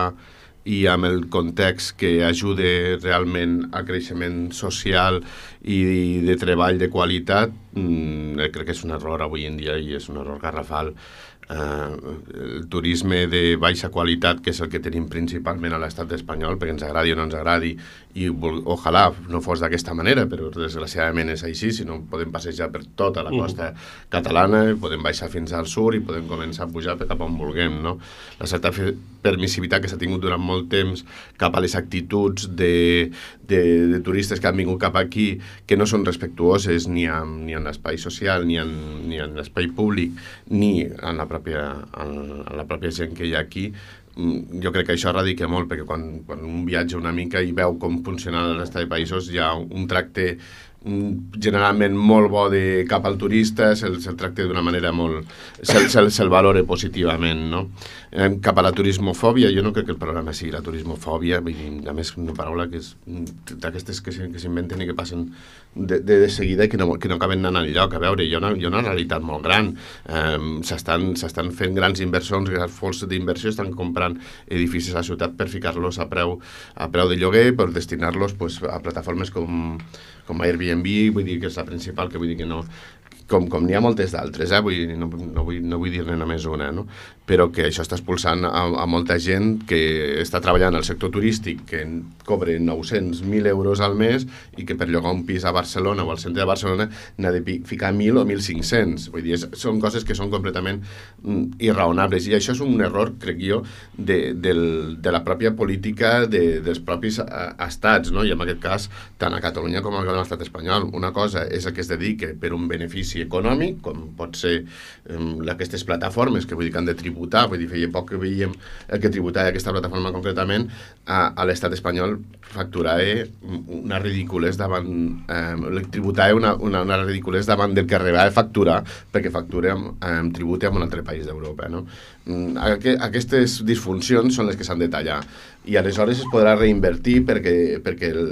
[SPEAKER 4] i amb el context que ajude realment a creixement social i de treball de qualitat, crec que és un error avui en dia i és un error garrafal. El turisme de baixa qualitat, que és el que tenim principalment a l'estat espanyol, perquè ens agradi o no ens agradi, i ojalà no fos d'aquesta manera, però desgraciadament és així. Si no, podem passejar per tota la costa catalana, podem baixar fins al sud i podem començar a pujar cap on vulguem, no? La certa permissivitat que s'ha tingut durant molt temps cap a les actituds de turistes que han vingut cap aquí, que no són respectuoses ni en l'espai social, ni en l'espai públic, ni en la pròpia gent que hi ha aquí. Jo crec que això radica molt, perquè quan un viatja una mica i veu com funciona la resta de països, hi ha un tracte generalment molt bo cap al turista, se'l tracta d'una manera molt... se'l valora positivament, no? Cap a la turismofòbia, jo no crec que el problema sigui la turismofòbia, vull dir, a més, una paraula que és d'aquestes que s'inventen i que passen de seguida i que no acaben anant enlloc. A veure, hi ha una realitat molt gran. S'estan fent grans inversions, grans fons d'inversió, estan comprant edificis a la ciutat per ficar-los a preu de lloguer, per destinar-los a plataformes com Airbnb, vull dir que és la principal, que vull dir que no, com n'hi ha moltes d'altres, vull dir, no vull dir-ne només una, no? Però que això està expulsant a molta gent que està treballant al sector turístic, que cobra 900.000 euros al mes i que per llogar un pis a Barcelona o al centre de Barcelona n'ha de ficar 1.000 o 1.500. Vull dir, són coses que són completament irraonables, i això és un error, crec jo, de la pròpia política dels propis estats, no? I en aquest cas, tant a Catalunya com a l'estat espanyol. Una cosa és el que es dedica per un benefici econòmic, com pot ser aquestes plataformes, que vull dir que han de tributar. Vull dir, feia poc que veiem el que tributava aquesta plataforma concretament. A l'estat espanyol facturava una ridiculez davant una ridiculez davant del que arribava a facturar, perquè factura tributa en un altre país d'Europa, no? Aquestes disfuncions són les que s'han de tallar, i aleshores es podrà reinvertir perquè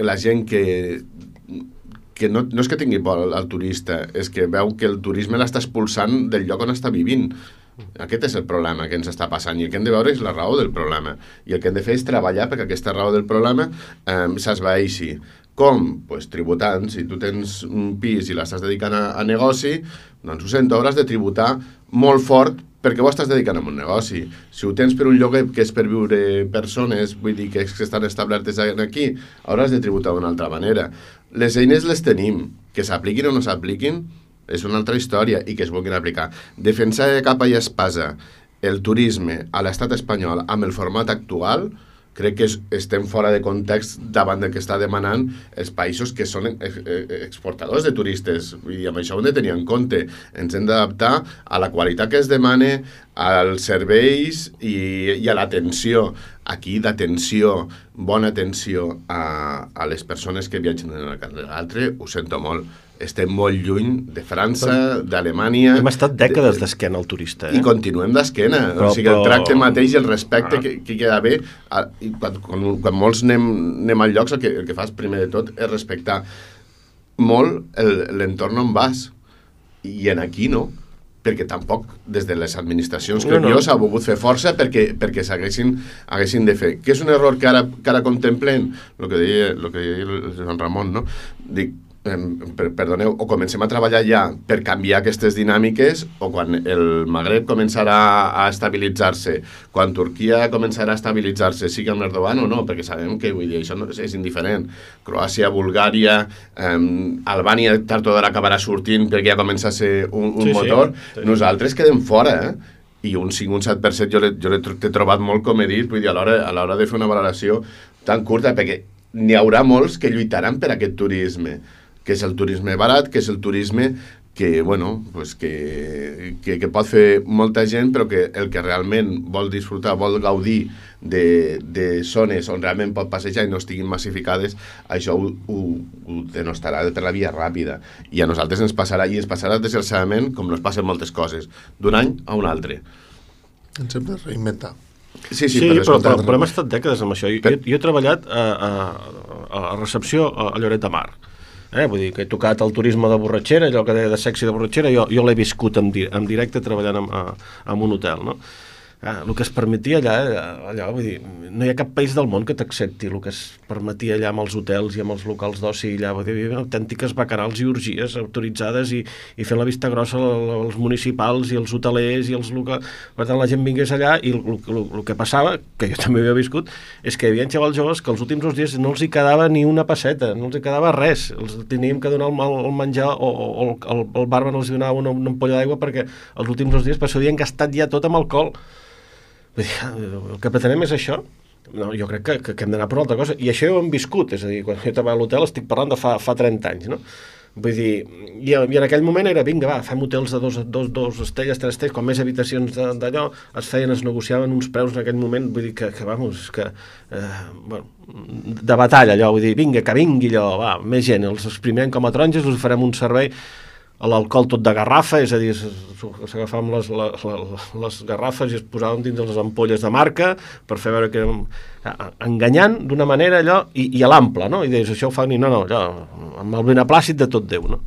[SPEAKER 4] la gent que no és que tingui por al turista, és que veu que el turisme l'està expulsant del lloc on està vivint. Aquest és el problema que ens està passant, i el que hem de veure és la raó del problema, i el que hem de fer és treballar perquè aquesta raó del problema s'esvaeixi. Com? Pues tributant. Si tu tens un pis i l'estàs dedicant a negoci, doncs ho sento, hauràs de tributar molt fort perquè ho estàs dedicant a un negoci. Si ho tens per un lloguer que és per viure persones, vull dir que estan establertes aquí, hauràs de tributar d'una altra manera. Les eines les tenim, que s'apliquin o no s'apliquin és una altra història, i que es vulguin aplicar. Defensar de capa i espasa el turisme a l'estat espanyol amb el format actual, crec que estem fora de context davant del que està demanant els països que són exportadors de turistes. Vull dir, amb això ho hem de tenir en compte. Ens hem d'adaptar a la qualitat que es demana, als serveis i a l'atenció. Aquí, d'atenció, bona atenció a les persones que viatgen d'una banda a l'altra, ho sento molt. Estem molt lluny de França, d'Alemanya...
[SPEAKER 1] Hem estat dècades d'esquena al turista,
[SPEAKER 4] I continuem d'esquena. O sigui, el tracte mateix i el respecte que hi ha d'haver... Quan molts anem al llocs, el que fas primer de tot és respectar molt l'entorn on vas. I en aquí no, perquè tampoc des de les administracions s'ha volgut fer força perquè s'haguessin de fer. Que és un error que ara contemplen, el que deia el Joan Ramon, no? Dic, perdoneu, o comencem a treballar ja per canviar aquestes dinàmiques, o quan el Magreb començarà a estabilitzar-se, quan Turquia començarà a estabilitzar-se, sigui amb Erdogan o no, perquè sabem que això és indiferent. Croàcia, Bulgària, Albània tard o d'ara acabarà sortint perquè ja comença a ser un motor. Sí. Nosaltres quedem fora, i un 5 o un 7% jo l'he trobat molt, com he dit, vull dir, a l'hora de fer una valoració tan curta, perquè n'hi haurà molts que lluitaran per aquest turisme, que és el turisme barat, que és el turisme que, bueno, pues que pot fer molta gent, però que el que realment vol disfrutar, vol gaudir de zones on realment pot passejar i no estiguin massificades, això ho denostarà per la via ràpida. I a nosaltres ens passarà desgraciadament com ens passen moltes coses, d'un any a un altre.
[SPEAKER 3] Ens hem de reinventar.
[SPEAKER 1] Sí, però hem estat dècades amb això. Jo he treballat a recepció a Lloret de Mar. Vull dir que he tocat el turisme de borratxera, allò que deia de sexy de borratxera, jo l'he viscut en directe treballant en un hotel, no? El que es permetia allà, vull dir, no hi ha cap país del món que t'accepti el que es permetia allà amb els hotels i amb els locals d'oci, allà, vull dir, hi havia autèntiques bacanals i orgies autoritzades i fent la vista grossa als municipals i els hotelers i els locals. Per tant, la gent vingués allà i el que passava, que jo també havia viscut, és que hi havia xavals joves que els últims 2 dies no els hi quedava ni una pesseta, no els hi quedava res. Els teníem que donar el menjar o el barman els donava una ampolla d'aigua perquè els últims 2 dies s'ho havien gastat ja tot amb alcohol. El que pretenem és això. No, jo crec que hem d'anar per una altra cosa, i això ho hem viscut, és a dir, quan jo estava a l'hotel estic parlant de fa 30 anys, no? Vull dir, i en aquell moment era, vinga, va, fem hotels de 2 estrelles, 3 estrelles, com més habitacions d'allò, es negociaven uns preus en aquell moment, vull dir que vamos, bueno, de batalla allò, vull dir, vinga, que vingui allò, va, més gent, els exprimirem com a taronges, us farem un servei, l'alcohol tot de garrafa, és a dir, s'agafàvem les garrafes i es posaven dins les ampolles de marca per fer veure que érem enganyant d'una manera allò, i a l'ample, no? I deies, això ho fan, i no, allò, amb el beneplàcit de tot Déu, no?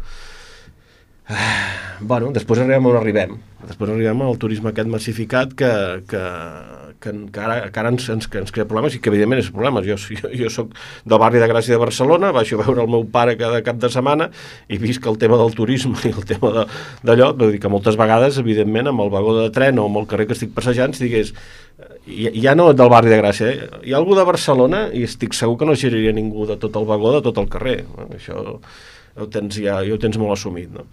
[SPEAKER 1] Bueno, després arribem on arribem. Després arribem al turisme aquest massificat que ara ens crea problemes, i que evidentment és problemes. Jo soc del barri de Gràcia de Barcelona, baixo a veure el meu pare cada cap de setmana i visc el tema del turisme i el tema d'allò, vull dir que moltes vegades, evidentment, amb el vagó de tren o amb el carrer que estic passejant, digués, ja no del barri de Gràcia, hi ha algú de Barcelona i estic segur que no giraria ningú de tot el vagó de tot el carrer. Això ho tens molt assumit, no?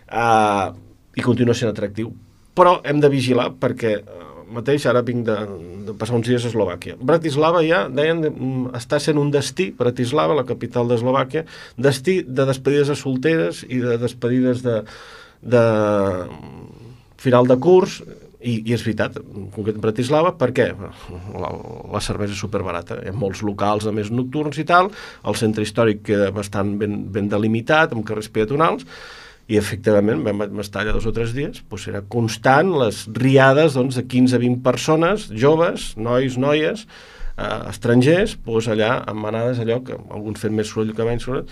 [SPEAKER 1] I continua sent atractiu, però hem de vigilar perquè mateix ara vinc de passar uns dies a Eslovàquia. Bratislava ja, deien, està sent un destí, Bratislava, la capital d'Eslovàquia, destí de despedides a solteres i de despedides de final de curs, i és veritat, en concret Bratislava, perquè la cervesa és superbarata, hi ha molts locals a més nocturns i tal, el centre històric queda bastant ben delimitat, amb carrers peatonals, i efectivament vam estar allà 2 o 3 dies, doncs era constant les riades de 15 a 20 persones, joves, nois, noies, estrangers, doncs allà amb manades, allò que alguns fent més soroll que menys soroll.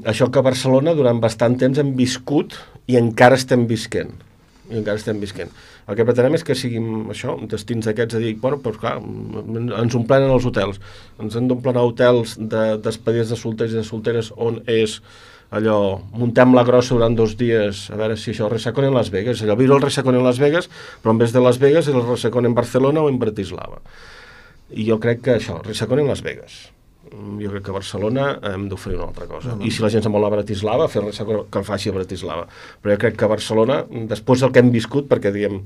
[SPEAKER 1] Això que a Barcelona durant bastant temps hem viscut i encara estem visquent. El que pretenem és que siguin això, destins aquests a dir, bueno, doncs clar, ens omplenen els hotels, ens hem d'omplir hotels de despedides de solters i de solteres on és allò, muntem la grossa durant 2 dies, a veure si això, el Resacón en Las Vegas, allò, viure el Resacón en Las Vegas, però en vez de Las Vegas és el Resacón en Barcelona o en Bratislava. I jo crec que això, Resacón en Las Vegas. Jo crec que a Barcelona hem d'oferir una altra cosa. I si la gent se'n vol a Bratislava, fer res que el faci a Bratislava. Però jo crec que a Barcelona, després del que hem viscut, perquè diguem,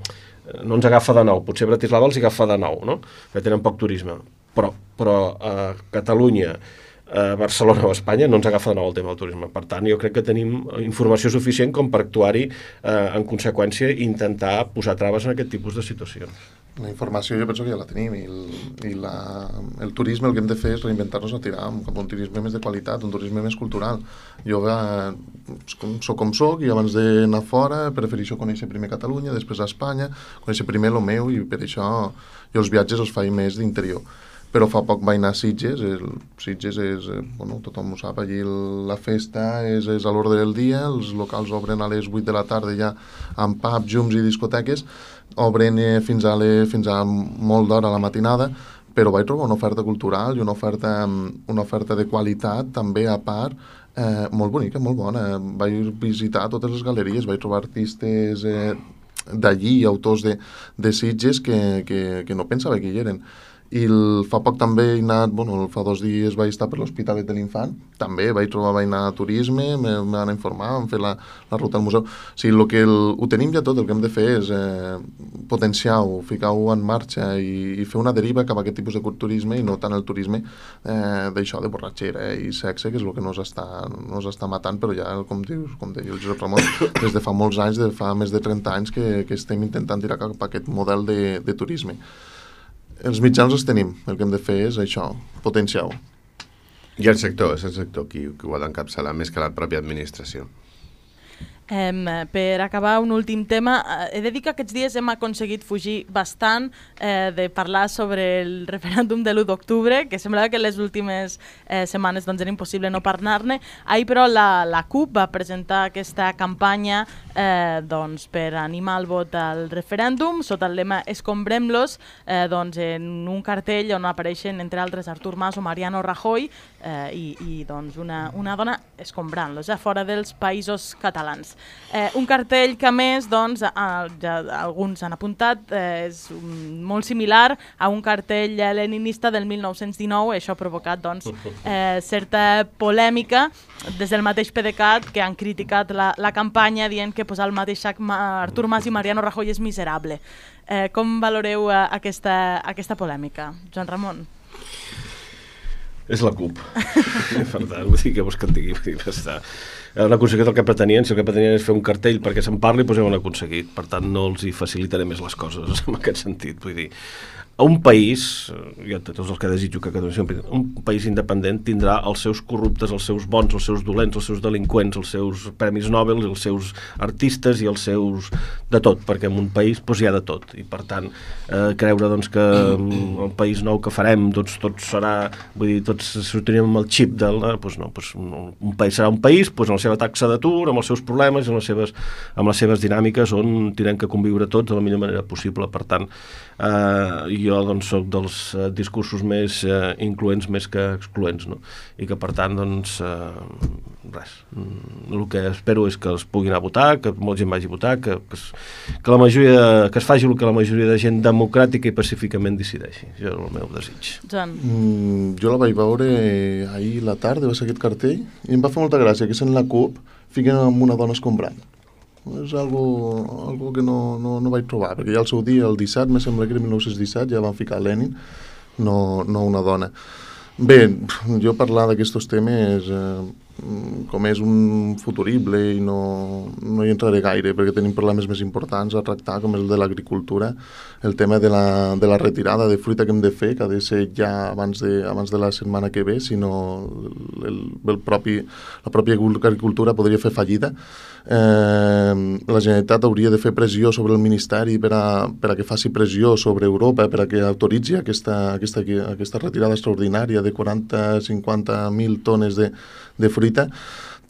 [SPEAKER 1] no ens agafa de nou, potser Bratislava els agafa de nou, no? Que tenen poc turisme. Però a Catalunya, Barcelona o Espanya, no ens agafa de nou el tema del turisme. Per tant, jo crec que tenim informació suficient com per actuar-hi en conseqüència i intentar posar traves en aquest tipus de situacions.
[SPEAKER 3] La informació jo penso que ja la tenim i el turisme el que hem de fer és reinventar-nos a tirar cap a un turisme més de qualitat, un turisme més cultural. Jo soc com soc i abans d'anar fora prefereixo conèixer primer Catalunya, després a Espanya, conèixer primer el meu i per això jo els viatges els faig més d'interior. Però fa poc vaig anar a Sitges. Sitges és, tothom ho sap, allí la festa és a l'ordre del dia, els locals obren a les 8 de la tarda ja amb pubs, llums i discoteques, obren fins a molt d'hora a la matinada, però vaig trobar una oferta cultural i una oferta de qualitat també a part, molt bonica, molt bona. Vaig visitar totes les galeries, vaig trobar artistes d'allí, autors de Sitges que no pensava que hi eren. I fa poc també he anat, fa 2 dies vaig estar per l'Hospitalet de l'Infant, també vaig anar a turisme, me van informar, vam fer la ruta al museu. O sigui, ho tenim ja tot, el que hem de fer és potenciar-ho, ficar-ho en marxa i fer una deriva cap a aquest tipus de turisme i no tant el turisme d'això, de borratxera i sexe, que és el que nos està matant, però ja, com deia el Josep Ramon, des de fa molts anys, fa més de 30 anys que estem intentant tirar cap a aquest model de turisme. Els mitjans els tenim, el que hem de fer és això, potenciar-ho.
[SPEAKER 4] I el sector, és el sector qui ho ha d'encapçalar més que la pròpia administració.
[SPEAKER 2] Per acabar, un últim tema. He de dir que aquests dies hem aconseguit fugir bastant de parlar sobre el referèndum de l'1 d'octubre, que semblava que les últimes setmanes era impossible no parlar-ne. Ahir, però, la CUP va presentar aquesta campanya per animar el vot al referèndum, sota el lema Escombrem-los, en un cartell on apareixen, entre altres, Artur Mas o Mariano Rajoy i una dona escombrant-los, fora dels països catalans. Un cartell que, a més, ja alguns han apuntat, és molt similar a un cartell leninista del 1919. Això ha provocat certa polèmica des del mateix PDeCAT, que han criticat la campanya dient que posar el mateix sac Artur Mas i Mariano Rajoy és miserable. Com valoreu aquesta polèmica, Joan Ramon?
[SPEAKER 1] És la CUP. Per tant, vull dir, què vols que et digui? Han aconseguit el que pretenien. Si el que pretenien és fer un cartell perquè se'n parli, doncs ja ho han aconseguit. Per tant, no els hi facilitaré més les coses en aquest sentit. Vull dir, un país, jo tots els que desitjo que Catalunya, un país independent tindrà els seus corruptes, els seus bons, els seus dolents, els seus delinqüents, els seus premis Nobel, els seus artistes i els seus de tot, perquè en un país hi ha de tot. I per tant, creure que el país nou que farem tot serà, vull dir, tots sortirem amb el xip del... Doncs no, un país serà un país amb la seva taxa d'atur, amb els seus problemes, amb les seves dinàmiques on tindrem que conviure tots de la millor manera possible. Per tant, jo soc dels discursos més incloents més que excloents, no? I que per tant res, el que espero és que es puguin anar a votar, que molta gent vagi a votar, que la majoria, que es faci el que la majoria de gent democràtica i pacíficament decideixi. Això és el meu desig.
[SPEAKER 2] Joan.
[SPEAKER 3] Jo la vaig veure ahir a la tarda, va ser aquest cartell, i em va fer molta gràcia que sent la CUP fiquen amb una dona escombrant. És algo que no vaig trobar, perquè ja al seu dia, el 17, me sembla que era 1917, ja van ficar Lenin, no una dona. Bé, jo parlar d'aquests temes, com és un futurible i no hi entraré gaire, perquè tenim problemes més importants a tractar, com és el de l'agricultura, el tema de la retirada de fruita que hem de fer, que ha de ser ja abans de la setmana que ve, sinó la pròpia agricultura podria fer fallida. La Generalitat hauria de fer pressió sobre el Ministeri per a que faci pressió sobre Europa per a que autoritzi aquesta retirada extraordinària de 40-50.000 tones de fruita.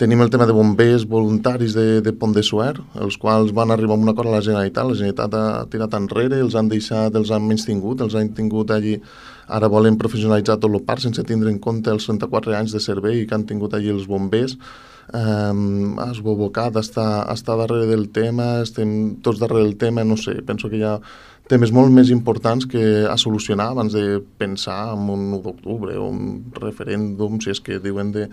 [SPEAKER 3] Tenim el tema de bombers voluntaris de Pont de Suert, els quals van arribar a un acord a la Generalitat. La Generalitat ha tirat enrere, els han menystingut, els han tingut allí. Ara volen professionalitzar tot el parc sense tindre en compte els 34 anys de servei que han tingut allí els bombers. Esbobocat està darrere del tema, estem tots darrere del tema, no sé, penso que hi ha temes molt més importants que a solucionar abans de pensar en un 1 d'octubre o un referèndum, si és que diuen de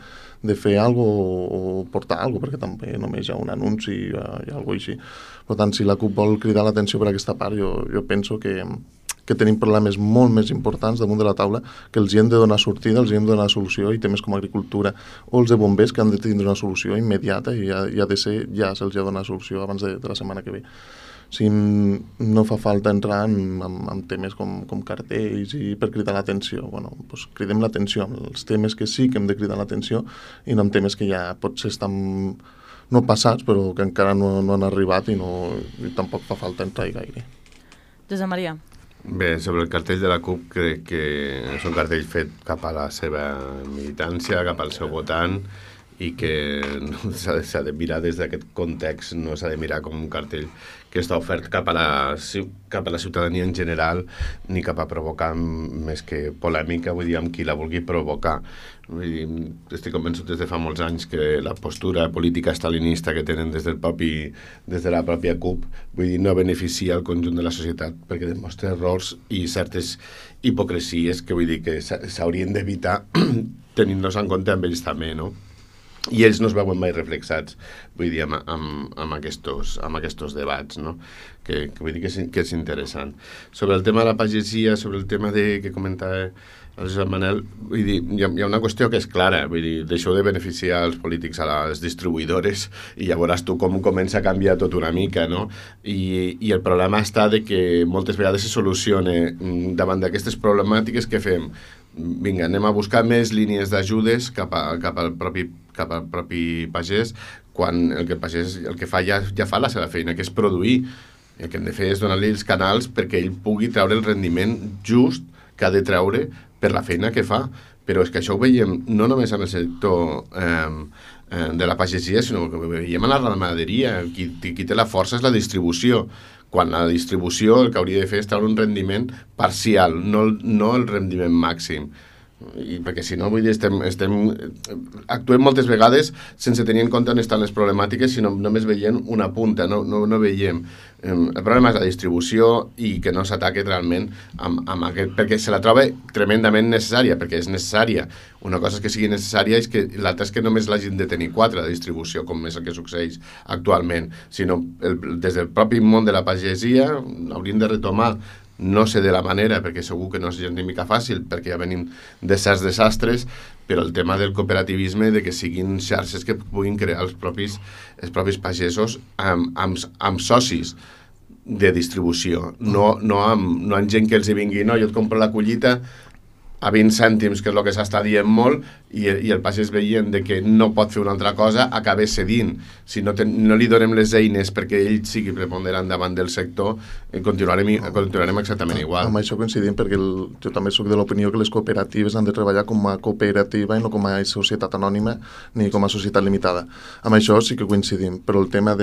[SPEAKER 3] fer alguna cosa o portar alguna cosa, perquè també només hi ha un anunci i alguna cosa així. Per tant, si la CUP vol cridar l'atenció per aquesta part, jo penso que que tenim problemes molt més importants damunt de la taula, que els hi hem de donar sortida, els hi hem de donar solució, i temes com agricultura o els de bombers, que han de tindre una solució immediata i ha de ser, ja se'ls ha de donar solució abans de la setmana que ve. Si no fa falta entrar en temes com cartells i per cridar l'atenció. Bueno, doncs cridem l'atenció amb els temes que sí que hem de cridar l'atenció i no amb temes que ja potser estan no passats, però que encara no han arribat i tampoc fa falta entrar-hi gaire.
[SPEAKER 2] Josep Maria.
[SPEAKER 4] Bé, sobre el cartell de la CUP, crec que és un cartell fet cap a la seva militància, cap al seu votant, i que s'ha de mirar des d'aquest context, no s'ha de mirar com un cartell que està ofert cap a la ciutadania en general, ni cap a provocar més que polèmica, vull dir, amb qui la vulgui provocar. Vull dir, estic convençut des de fa molts anys que la postura política stalinista que tenen des de la pròpia CUP, vull dir, no beneficia el conjunt de la societat, perquè demostra errors i certes hipocresies que vull dir que s'haurien d'evitar tenint-los en compte amb ells també, no? I ells no es veuen mai reflexats, vull dir, amb aquests debats, no? Que vull dir que és interessant. Sobre el tema de la pagesia, sobre el tema que comentava el Josep Manel, vull dir, hi ha una qüestió que és clara, vull dir, deixeu de beneficiar els polítics a les distribuïdores i ja veuràs tu com comença a canviar tot una mica, no? I el problema està de que moltes vegades se soluciona davant d'aquestes problemàtiques que fem. Vinga, anem a buscar més línies d'ajudes cap al propi pagès, quan el que fa ja fa la seva feina, que és produir. El que hem de fer és donar-li els canals perquè ell pugui treure el rendiment just que ha de treure per la feina que fa. Però és que això ho veiem no només en el sector de la pagesia, sinó que ho veiem en la ramaderia. Qui té la força és la distribució, quan la distribució el que hauria de fer és treure un rendiment parcial, no el rendiment màxim. I perquè si no, vull dir, actuem moltes vegades sense tenir en compte on estan les problemàtiques, sinó només veient una punta, no veiem. El problema és la distribució i que no s'ataque realment amb aquest, perquè se la troba tremendament necessària, perquè és necessària. Una cosa és que sigui necessària i l'altra és que només l'hagin de tenir 4 de distribució, com és el que succeeix actualment, sinó des del propi món de la pagesia hauríem de retomar. No sé de la manera, perquè segur que no és gens ni mica fàcil, perquè ja venim de certs desastres, però el tema del cooperativisme, de que siguin xarxes que puguin crear els propis pagesos amb socis de distribució, no amb gent que els hi vingui, no, jo et compro la collita a 20 cèntims, que és el que s'està dient molt, i el pagès veient que no pot fer una altra cosa, acaba cedint. Si no li donem les eines perquè ell sigui preponderant davant del sector, continuarem exactament igual.
[SPEAKER 3] Amb això coincidim, perquè jo també soc de l'opinió que les cooperatives han de treballar com a cooperativa i no com a societat anònima ni com a societat limitada. Amb això sí que coincidim, però el tema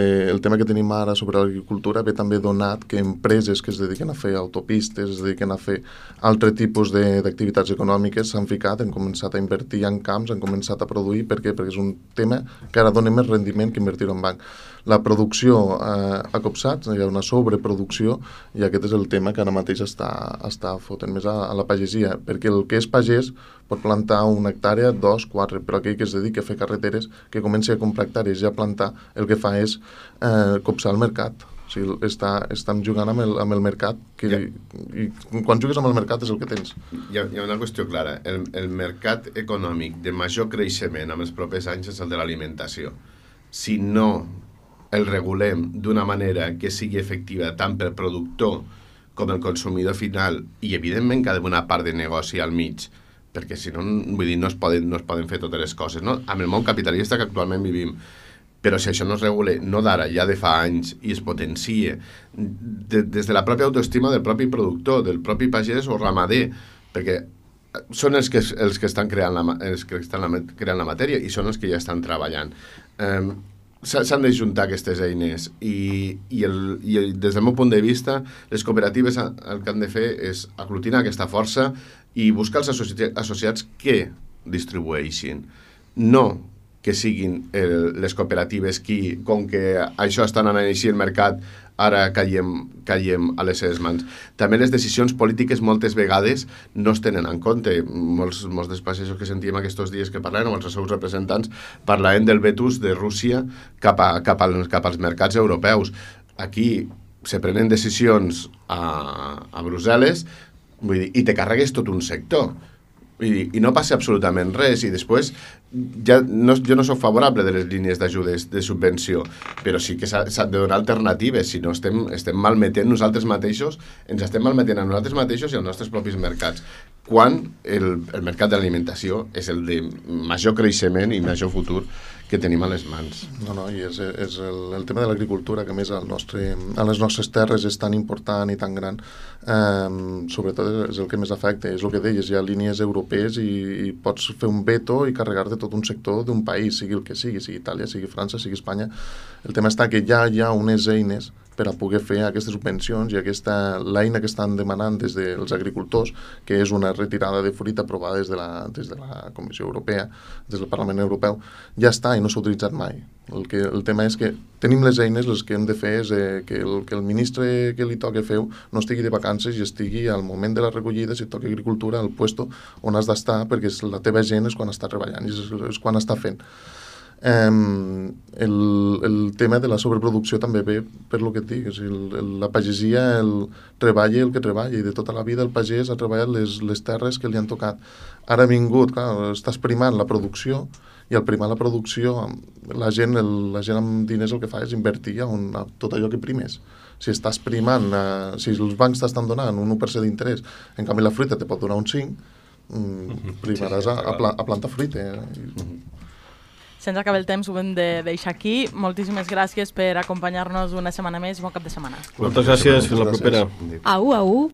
[SPEAKER 3] que tenim ara sobre l'agricultura ve també donat que empreses que es dediquen a fer autopistes, es dediquen a fer altre tipus d'activitats econòmiques s'han ficat, han començat a invertir en camps, han començat a produir. Per què? Perquè és un tema que ara dona més rendiment que invertir en banc. La producció ha copsat, hi ha una sobreproducció, i aquest és el tema que ara mateix està fotent més a la pagesia, perquè el que és pagès pot plantar una hectàrea, 2, 4, però aquell que es dedica a fer carreteres, que comenci a comprar hectàrees i a plantar, el que fa és copsar el mercat. O sigui, estan jugant amb el mercat, i quan jugues amb el mercat és el que tens.
[SPEAKER 4] Hi ha una qüestió clara. El mercat econòmic de major creixement en els propers anys és el de l'alimentació. Si no el regulem d'una manera que sigui efectiva tant pel productor com el consumidor final, i evidentment que ha d'haver una part de negoci al mig, perquè si no, vull dir, no es poden fer totes les coses, no? Amb el món capitalista que actualment vivim. Però si això no es regula, no d'ara, ja de fa anys, i es potencia des de la pròpia autoestima del propi productor, del propi pagès o ramader, perquè són els que estan creant la matèria i són els que ja estan treballant. S'han de juntar aquestes eines i des del meu punt de vista les cooperatives el que han de fer és aglutinar aquesta força i buscar els associats que distribueixin, no que siguin les cooperatives qui, com que això està anant així el mercat, ara caiem a les seves mans. També les decisions polítiques moltes vegades no es tenen en compte. Molts dels pagesos que sentíem aquests dies que parlen, o els seus representants, parlaven del vetus de Rússia cap als mercats europeus. Aquí se prenen decisions a Brussel·les, vull dir, i te carregues tot un sector. I no passa absolutament res, i després jo no soc favorable de les línies d'ajudes de subvenció, però sí que s'ha de donar alternatives, si no estem malmetent nosaltres mateixos, ens estem malmetent a nosaltres mateixos i als nostres propis mercats, quan el mercat de l'alimentació és el de major creixement i major futur que tenim a les mans.
[SPEAKER 3] No, i és el tema de l'agricultura, que a més a les nostres terres és tan important i tan gran, sobretot és el que més afecta, és el que deies, hi ha línies europees i pots fer un veto i carregar-te tot un sector d'un país, sigui el que sigui Itàlia, sigui França, sigui Espanya. El tema està que ja hi ha unes eines per a poder fer aquestes subvencions i l'eina que estan demanant des dels agricultors, que és una retirada de fruita aprovada des de la Comissió Europea, des del Parlament Europeu, ja està i no s'ha utilitzat mai. El tema és que tenim les eines, les que hem de fer és que el ministre que li toqui fer no estigui de vacances i estigui al moment de la recollida, si et toca agricultura, al puesto on has d'estar, perquè la teva gent és quan està treballant i és quan està fent. El tema de la sobreproducció també ve per lo que et dic, la pagesia treballa el que treballa, i de tota la vida el pagès ha treballat les terres que li han tocat. Ara ha vingut, clar, estàs primant la producció, i al primar la producció la gent amb diners el que fa és invertir a tot allò que primes. Si estàs primant, si els bancs t'estan donant un 1% d'interès, en canvi la fruita te pot donar un 5%, primaràs a plantar fruita.
[SPEAKER 2] Se'ns acaba el temps, ho hem de deixar aquí. Moltíssimes gràcies per acompanyar-nos una setmana més i bon cap de setmana.
[SPEAKER 1] Moltes gràcies, fins la propera.
[SPEAKER 6] Au, au.